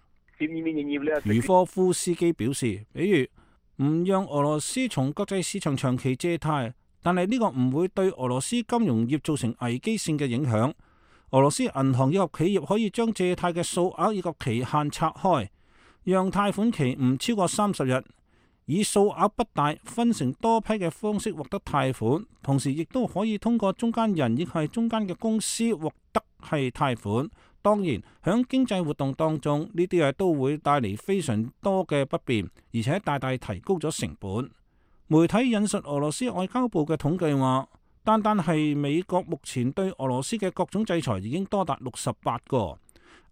茹科夫斯基表示，比如唔讓俄羅斯從國際市場長期借貸，但係呢個唔會對俄羅斯金融業造成危機性嘅影響。俄羅斯銀行以及企業可以將借貸嘅數額以及期限拆開，讓貸款期唔超過30日，以數額不大、分成多批嘅方式獲得貸款，同時亦都可以通過中間人亦係中間嘅公司獲得係貸款。當然，響經濟活動當中，呢啲都會帶嚟非常多嘅不便，而且大大提高咗成本。媒體引述俄羅斯外交部嘅統計話，單單係美國目前對俄羅斯嘅各種制裁已經多達68個。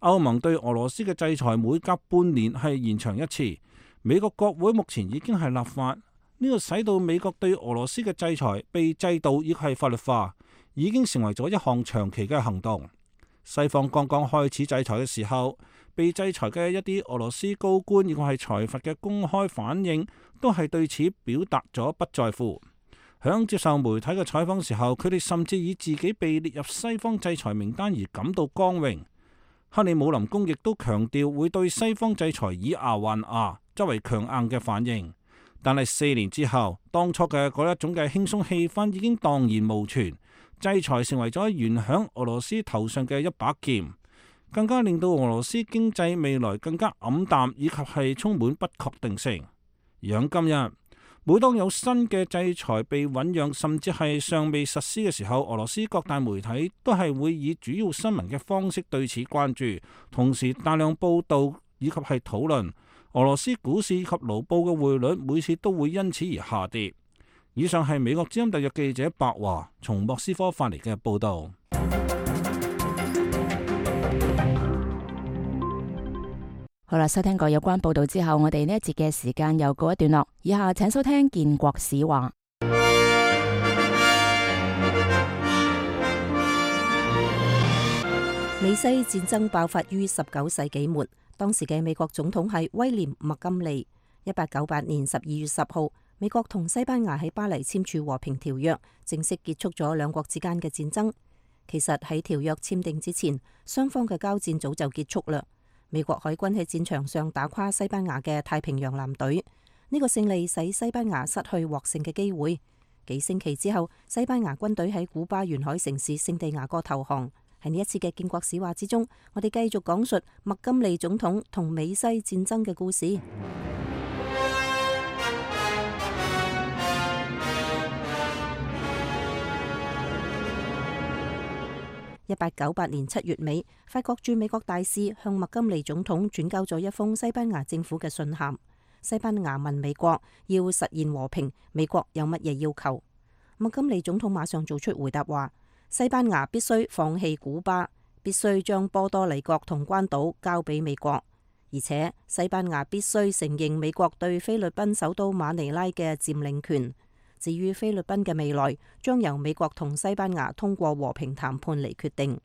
歐盟對俄羅斯嘅制裁每隔半年係延長一次。美國國會目前已經係立法，呢個使到美國對俄羅斯嘅制裁被制度亦係法律化，已經成為咗一項長期嘅行動。西方剛剛開始制裁嘅時候，被制裁嘅一啲俄羅斯高官亦或係財閥嘅公開反應，都係對此表達咗不在乎。響接受媒體嘅採訪時候，佢哋甚至以自己被列入西方制裁名單而感到光榮。克里姆林宮亦都強調會對西方制裁以牙還牙，作為強硬嘅反應。但係4年之後，當初嘅嗰一種嘅輕鬆氣氛已經蕩然無存。制裁成為咗懸響俄羅斯頭上嘅一把劍，更加令到俄羅斯經濟未來更加黯淡，以及係充滿不確定性。而喺今日，每當有新嘅制裁被醞釀，甚至係尚未實施嘅時候，俄羅斯各大媒體都係會以主要新聞嘅方式對此關注，同時大量報道以及係討論。俄羅斯股市及盧布嘅匯率每次都會因此而下跌。以上係美國之音特約記者白華從莫斯科發嚟嘅報道。好啦，收聽過有關報道之後，我哋呢一節嘅時間又告一段落。以下請收聽建國史話。美西戰爭爆發於19世紀末，當時嘅美國總統係威廉麥金利。1898年12月10號，美國同西班牙喺巴黎簽署和平條約，正式結束咗兩國之間嘅戰爭。其實喺條約簽訂之前，雙方嘅交戰早就結束啦。美國海軍喺戰場上打垮西班牙嘅太平洋艦隊，呢個勝利使西班牙失去獲勝嘅機會。幾星期之後，西班牙軍隊喺古巴沿海城市聖地亞哥投降。喺呢一次嘅建國史話之中，我哋繼續講述麥金利總統同美西戰爭嘅故事。1898年7月尾，法國駐美國大使向麥金利總統轉交咗一封西班牙政府嘅信函。西班牙問美國要實現和平，美國有乜嘢要求？麥金利總統馬上做出回答話：西班牙必須放棄古巴，必須將波多黎各同關島交俾美國，而且西班牙必須承認美國對菲律賓首都馬尼拉嘅佔領權。至於菲律賓嘅未來，將由美國同西班牙通過和平談判嚟決定。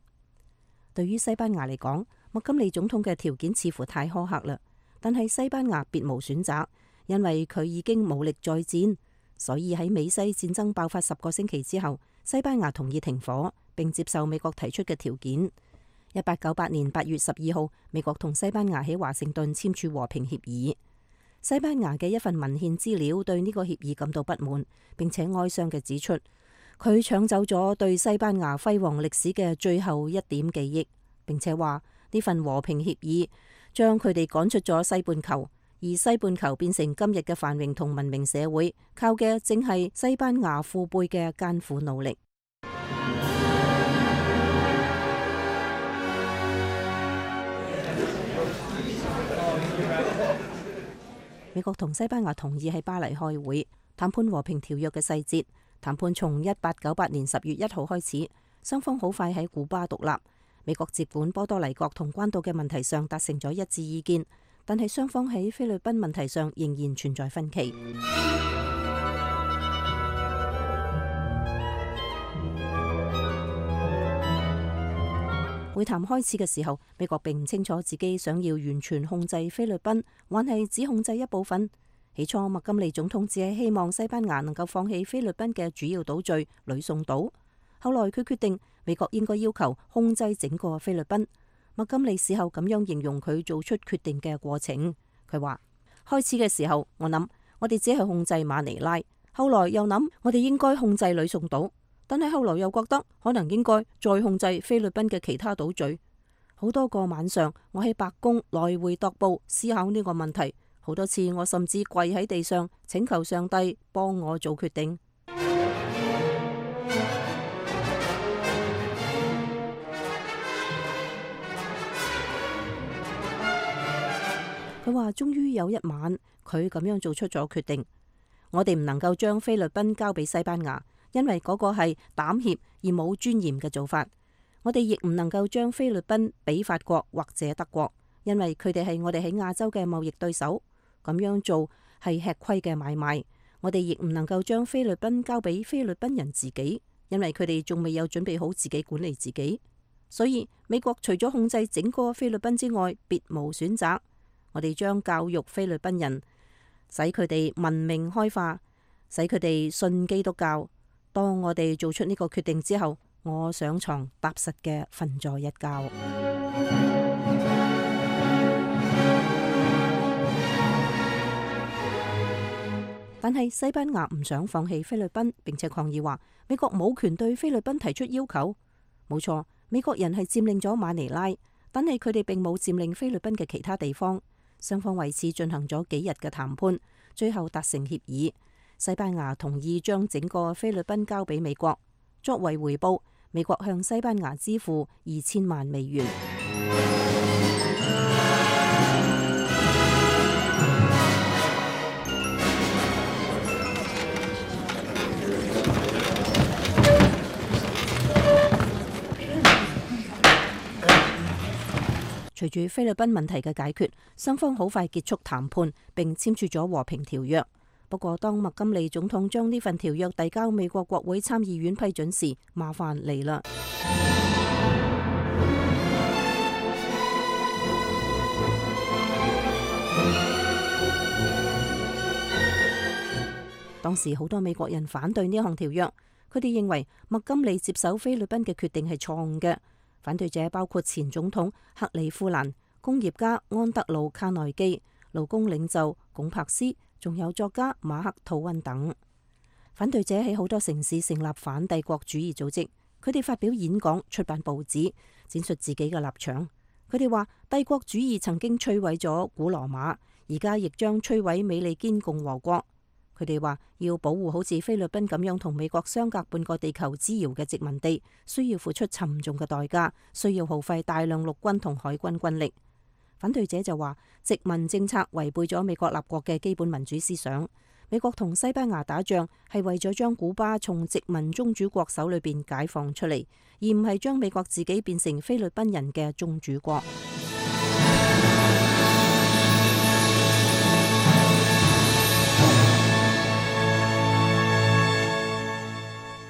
對於西班牙嚟講，麥金利總統嘅條件似乎太苛刻啦。但係西班牙別無選擇，因為佢已經武力再戰，所以喺美西戰爭爆發10個星期之後，西班牙同意停火，並接受美國提出嘅條件。1898年8月12號，美國同西班牙喺華盛頓簽署和平協議。西班牙嘅一份文獻資料對呢個協議感到不滿，並且哀傷嘅指出，佢搶走咗對西班牙輝煌歷史嘅最後一點記憶，並且話呢份和平協議將佢哋趕出咗西半球，而西半球變成今日嘅繁榮同文明社會，靠嘅正係西班牙父輩嘅艱苦努力。美國同西班牙同意喺巴黎開會談判和平條約嘅細節。談判從1898年10月1號開始，雙方好快喺古巴獨立。美國接管波多黎各同關島嘅問題上達成咗一致意見，但係雙方喺菲律賓問題上仍然存在分歧。會談開始嘅時候，美國並唔清楚自己想要完全控制菲律賓，還係只控制一部分。起初，麥金利總統只係希望西班牙能夠放棄菲律賓嘅主要島嶼呂宋島。後來佢決定美國應該要求控制整個菲律賓。麥金利事後咁樣形容佢做出決定嘅過程。佢話：開始嘅時候，我諗我哋只係控制馬尼拉，後來又諗我哋應該控制呂宋島。但係後來又覺得可能應該再控制菲律賓嘅其他島嶼。好多個晚上，我喺白宮來回踱步思考呢個問題。好多次我甚至跪喺地上請求上帝幫我做決定。佢話終於有一晚，佢咁樣做出咗決定。我哋唔能夠將菲律賓交俾西班牙，因為嗰個係膽怯而冇尊嚴嘅做法。我哋亦唔能夠將菲律賓俾法國或者德國，因為佢哋係我哋喺亞洲嘅貿易對手。咁樣做係吃虧嘅買賣。我哋亦唔能夠將菲律賓交俾菲律賓人自己，因為佢哋仲未有準備好自己管理自己。所以美國除咗控制整個菲律賓之外，別無選擇。我哋將教育菲律賓人，使佢哋文明開化，使佢哋信基督教。當我哋做出呢個決定之後，我上床踏實嘅瞓咗一覺。但係西班牙唔想放棄菲律賓，並且抗議話美國冇權對菲律賓提出要求。冇錯，美國人係佔領咗馬尼拉，但係佢哋並冇佔領菲律賓嘅其他地方。雙方為此進行咗幾日嘅談判，最後達成協議。西班牙同意將整個菲律賓交俾美國，作為回報，美國向西班牙支付2000萬美元。隨住菲律賓問題嘅解決，雙方好快結束談判，並簽署咗和平條約。不過，當麥金利總統將呢份條約遞交美國國會參議院批准時，麻煩嚟啦。當時好多美國人反對呢項條約，佢哋認為麥金利接手菲律賓嘅決定係錯誤嘅。反對者包括前總統克里夫蘭、工業家安德魯卡內基、勞工領袖龔柏斯，仲有作家馬克吐溫等。反對者喺好多城市成立反帝國主義組織，佢哋發表演講、出版報紙，展述自己嘅立場。佢哋話帝國主義曾經摧毀咗古羅馬，而家亦將摧毀美利堅共和國。佢哋話要保護好似菲律賓咁樣同美國相隔半個地球之遙嘅殖民地，需要付出沉重嘅代價，需要耗費大量陸軍同海軍軍力。反對者就話殖民政策違背咗美國立國嘅基本民主思想。美國同西班牙打仗係為咗將古巴從殖民宗主國手裏邊解放出嚟，而唔係將美國自己變成菲律賓人嘅宗主國。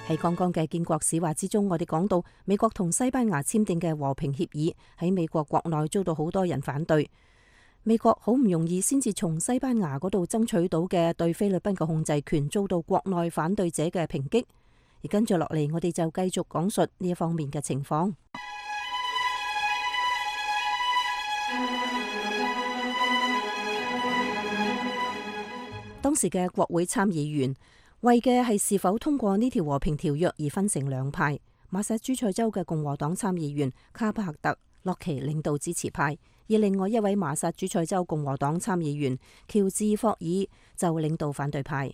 喺剛剛嘅建國史話之中，我哋講到美國同西班牙簽訂嘅和平協議喺美國國內遭到好多人反對。美國好唔容易先至從西班牙嗰度爭取到嘅對菲律賓嘅控制權，遭到國內反對者嘅抨擊。而跟住落嚟，我哋就繼續講述呢一方面嘅情況。當時嘅國會參議員為嘅係是否通過呢條和平條約而分成兩派。馬薩諸塞州嘅共和黨參議員卡巴克特洛奇領導支持派，而另外一位麻薩諸塞州共和黨參議員喬治霍爾就領導反對派。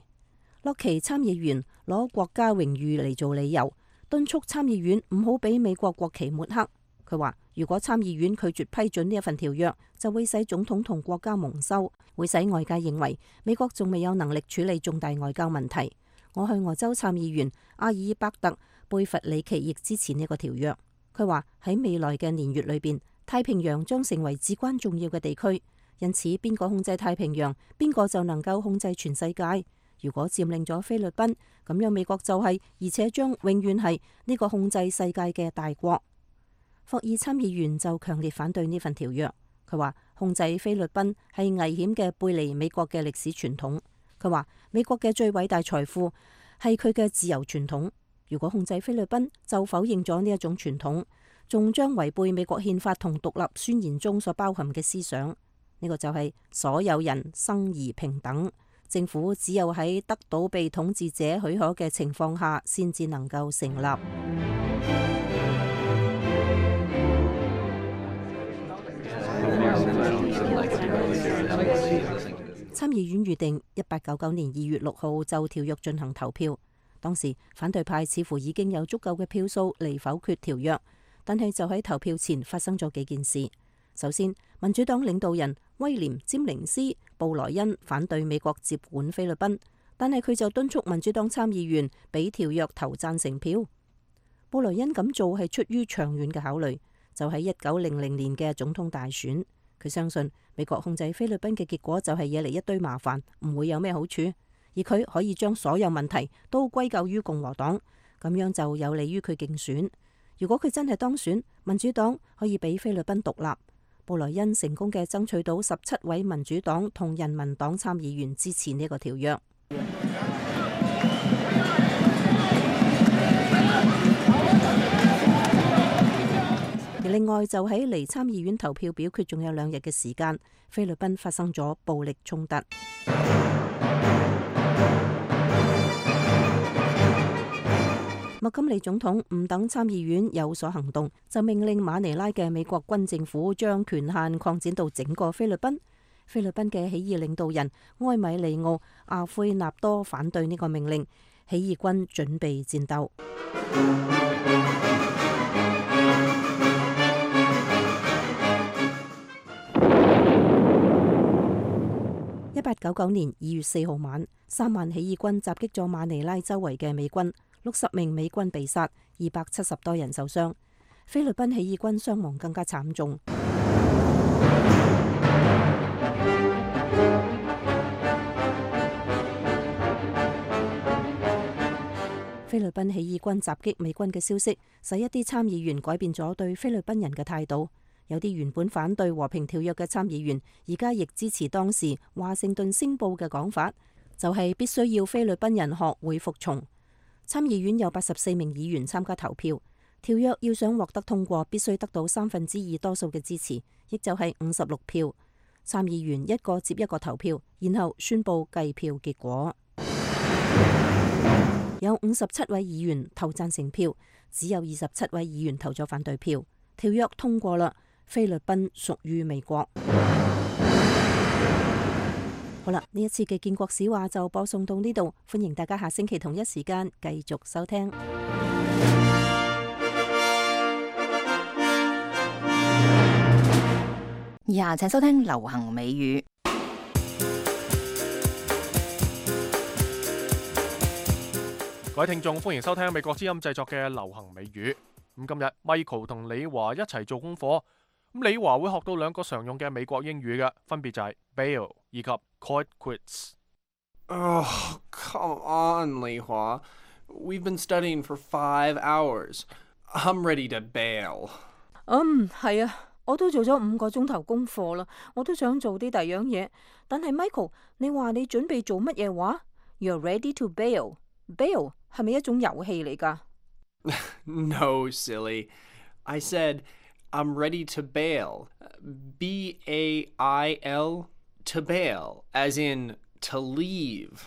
洛奇參議員攞國家榮譽嚟做理由，敦促參議院唔好俾美國國旗抹黑。佢話如果參議院拒絕批准呢一份條約，就會使總統同國家蒙羞，會使外界認為美國仲未有能力處理重大外交問題。俄亥俄州參議員阿爾伯特貝弗里奇亦支持呢個條約。佢話喺未來嘅年月裏邊，太平洋將成為至關重要嘅地區，因此邊個控制太平洋，邊個就能夠控制全世界。如果佔領咗菲律賓，咁樣美國就係，而且將永遠係呢個控制世界嘅大國。霍爾參議員就強烈反對呢份條約。佢話控制菲律賓係危險嘅，背離美國嘅歷史傳統。佢話美國嘅最偉大財富係佢嘅自由傳統。如果控制菲律賓，就否認咗呢一種傳統，仲將違背美國憲法同獨立宣言中所包含嘅思想。呢個就係所有人生而平等。政府只有喺得到被統治者許可嘅情況下，先至能夠成立。參議院預定1899年2月6號就條約進行投票。當時反對派似乎已經有足夠嘅票數嚟否決條約，但係就喺投票前發生咗幾件事。首先，民主黨領導人威廉詹寧斯布萊恩反對美國接管菲律賓，但係佢就敦促民主黨參議員俾條約投贊成票。布萊恩咁做係出於長遠嘅考慮，就喺1900年嘅總統大選，佢相信美國控制菲律賓嘅結果就係惹嚟一堆麻煩，唔會有咩好處。而佢可以將所有問題都歸咎於共和黨，咁樣就有利於佢競選。如果佢真係當選，民主黨可以俾菲律賓獨立。布萊恩成功嘅爭取到17位民主黨同人民黨參議員支持呢個條約。而另外就喺離參議院投票表決仲有2日嘅時間，菲律賓發生咗暴力衝突。麥金利總統唔等參議院有所行動，就命令馬尼拉嘅美國軍政府將權限擴展到整個菲律賓。菲律賓嘅起義領導人埃米利奧·阿奎納多反對呢個命令，起義軍準備戰鬥。1899年2月4號晚，3萬起義軍襲擊咗馬尼拉周圍嘅美軍。60名美軍被殺，270多人受傷。菲律賓起義軍傷亡更加慘重。菲律賓起義軍襲擊美軍嘅消息，使一啲參議員改變咗對菲律賓人嘅態度。有啲原本反對和平條約嘅參議員，而家亦支持當時華盛頓星報嘅講法，就係必須要菲律賓人學會服從。參議院有84名議員參加投票，條約要想獲得通過，必須得到2/3多數嘅支持，亦就係56票。參議員一個接一個投票，然後宣布計票結果。有57位議員投贊成票，只有27位議員投咗反對票。條約通過啦，菲律賓屬於美國。好啦，呢一次嘅建國史話就播送到呢度，歡迎大家下星期同一時間繼續收聽。以下請收聽流行美語。各位聽眾，歡迎收聽美國之音製作嘅流行美語。咁今日 Michael 同李華一齊做功課。咁李華會學到2個常用嘅美國英語嘅，分別就係 bail 以及 call it quits。Oh, come on, 李華。We've been studying for 5 hours. I'm ready to bail. 係啊，我都做咗5個鐘頭功課啦，我都想做啲第樣嘢。但係 Michael， 你話你準備做乜嘢話 ？You're ready to bail。Bail 係咪一種遊戲嚟㗎？No, silly. I said I'm ready to bail. B-A-I-L, to bail, as in to leave.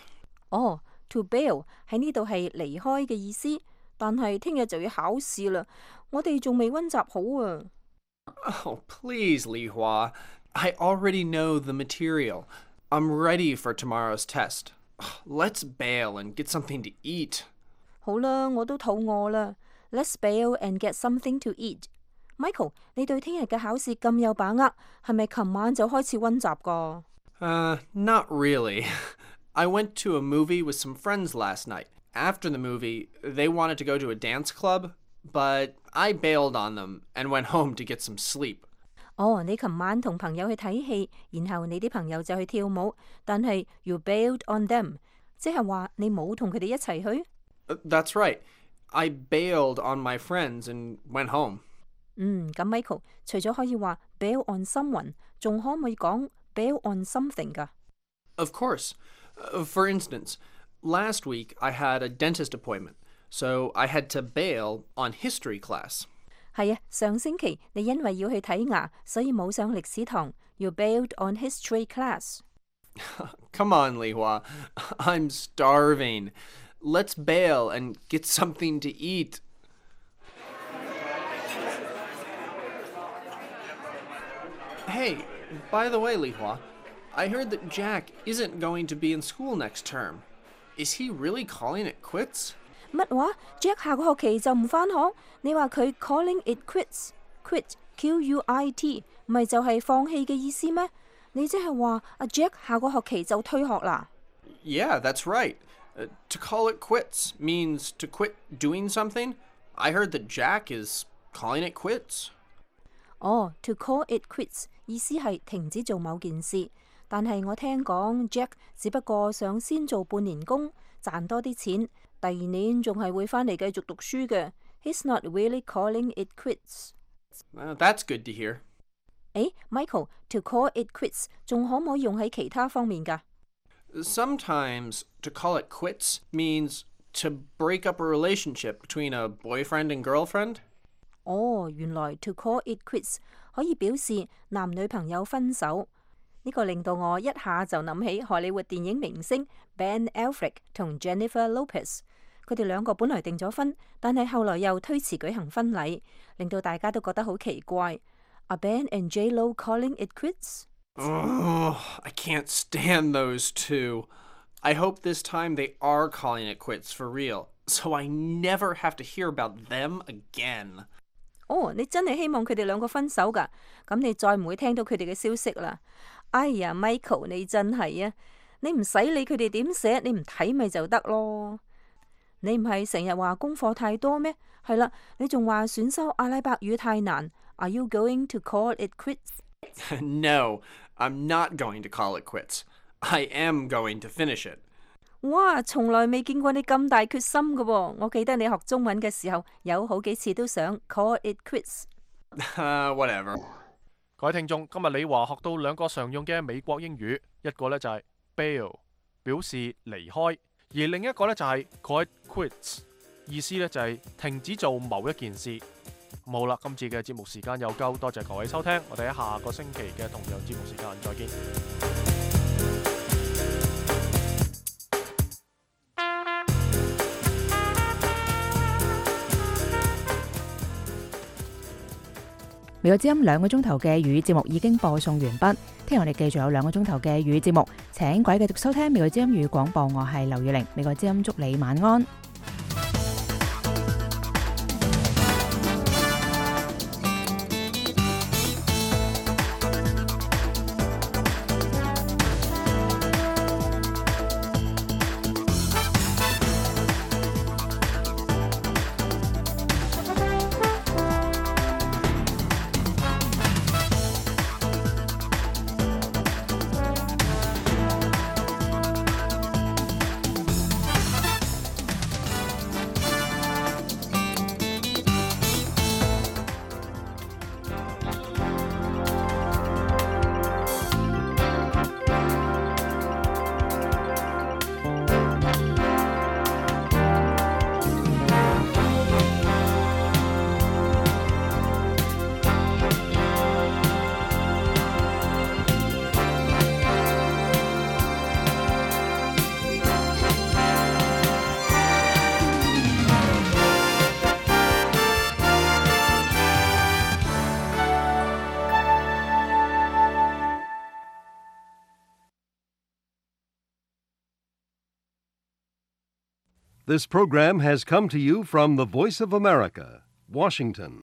to bail 喺呢度係離開嘅意思，但係聽日就要考試啦，我哋仲未溫習好啊。Oh, please, Li Hua. I already know the material. I'm ready for tomorrow's test. Let's bail and get something to eat. 好啦，我都肚餓啦。Let's bail and get something to eat. Michael，你對聽日嘅考試咁有把握，係咪琴晚就開始溫習㗎？Not really. I went to a movie with some friends last night. After the movie, they wanted to go to a dance club, but I bailed on them and went home to get some sleep. 哦，你琴晚同朋友去睇戲，然後你啲朋友就去跳舞，但係 you bailed on them， 即係話你冇同佢哋一齊去？That's right. I bailed on my friends and went home. 咁 Michael 除咗可以話 bail on someone， 仲可唔可以講 bail on something 㗎？ Of course. For instance, last week I had a dentist appointment, so I had to bail on history class. 係啊，上星期你因為要去睇牙，所以冇上歷史堂。You bailed on history class. Come on, Li Hua. I'm starving. Let's bail and get something to eat. Hey, by the way, Li Hua, I heard that Jack isn't going to be in school next term. Is he really calling it quits? 乜話 ？Jack 下個學期就唔返學？你話佢 calling it quits，quit Q-U-I-T， 咪就係放棄嘅意思咩？你即係話阿 Jack 下個學期就退學啦 ？Yeah, that's right. To call it quits means to quit doing something. I heard that Jack is calling it quits. 哦 ，to call it quits 意思係停止做某件事，但係我聽講 Jack 只不過想先做半年工，賺多啲錢，第二年仲係會返嚟繼續讀書嘅。He's not really calling it quits. That's good to hear. 誒 ，Michael，to call it quits 仲可唔可以用喺其他方面㗎？ Sometimes to call it quits means to break up a relationship between a boyfriend and girlfriend. 哦，原來 to call it quits 可以表示男女朋友分手。呢個令到我一下就諗起荷里活電影明星 Ben Affleck 同 Jennifer Lopez。佢哋兩個本來訂咗婚，但係後來又推遲舉行婚禮，令到大家都覺得好奇怪。Are Ben and J-Lo calling it quits? Oh, I can't stand those two. I hope this time they are calling it quits for real, so I never have to hear about them again. 哦，你真係希望佢哋兩個分手㗎？咁你再唔會聽到佢哋嘅消息啦。哎呀 ，Michael， 你真係啊！你唔使理佢哋點寫，你唔睇咪就得咯。你唔係成日話功課太多咩？係啦，你仲話選修阿拉伯語太難。Are you going to call it quits? No, I'm not going to call it quits. I am going to finish it. 哇，從來未見過你咁大決心㗎喎！我記得你學中文嘅時候，有好幾次都想 call it quits。Whatever。各位聽眾，今日李華學到兩個常用嘅美國英語，一個呢就係 bail， 表示離開，而另一個呢就係 call it quits， 意思呢就係停止做某一件事。好啦，今次嘅節目時間又夠，多謝各位收聽，我哋喺下個星期嘅同樣節目時間再見。美國之音2個鐘頭嘅粵語節目已經播送完畢，聽日我哋繼續有2個鐘頭嘅粵語節目，請各位繼續收聽美國之音粵語廣播，我係劉雨玲，美國之音祝你晚安。This program has come to you from the Voice of America, Washington.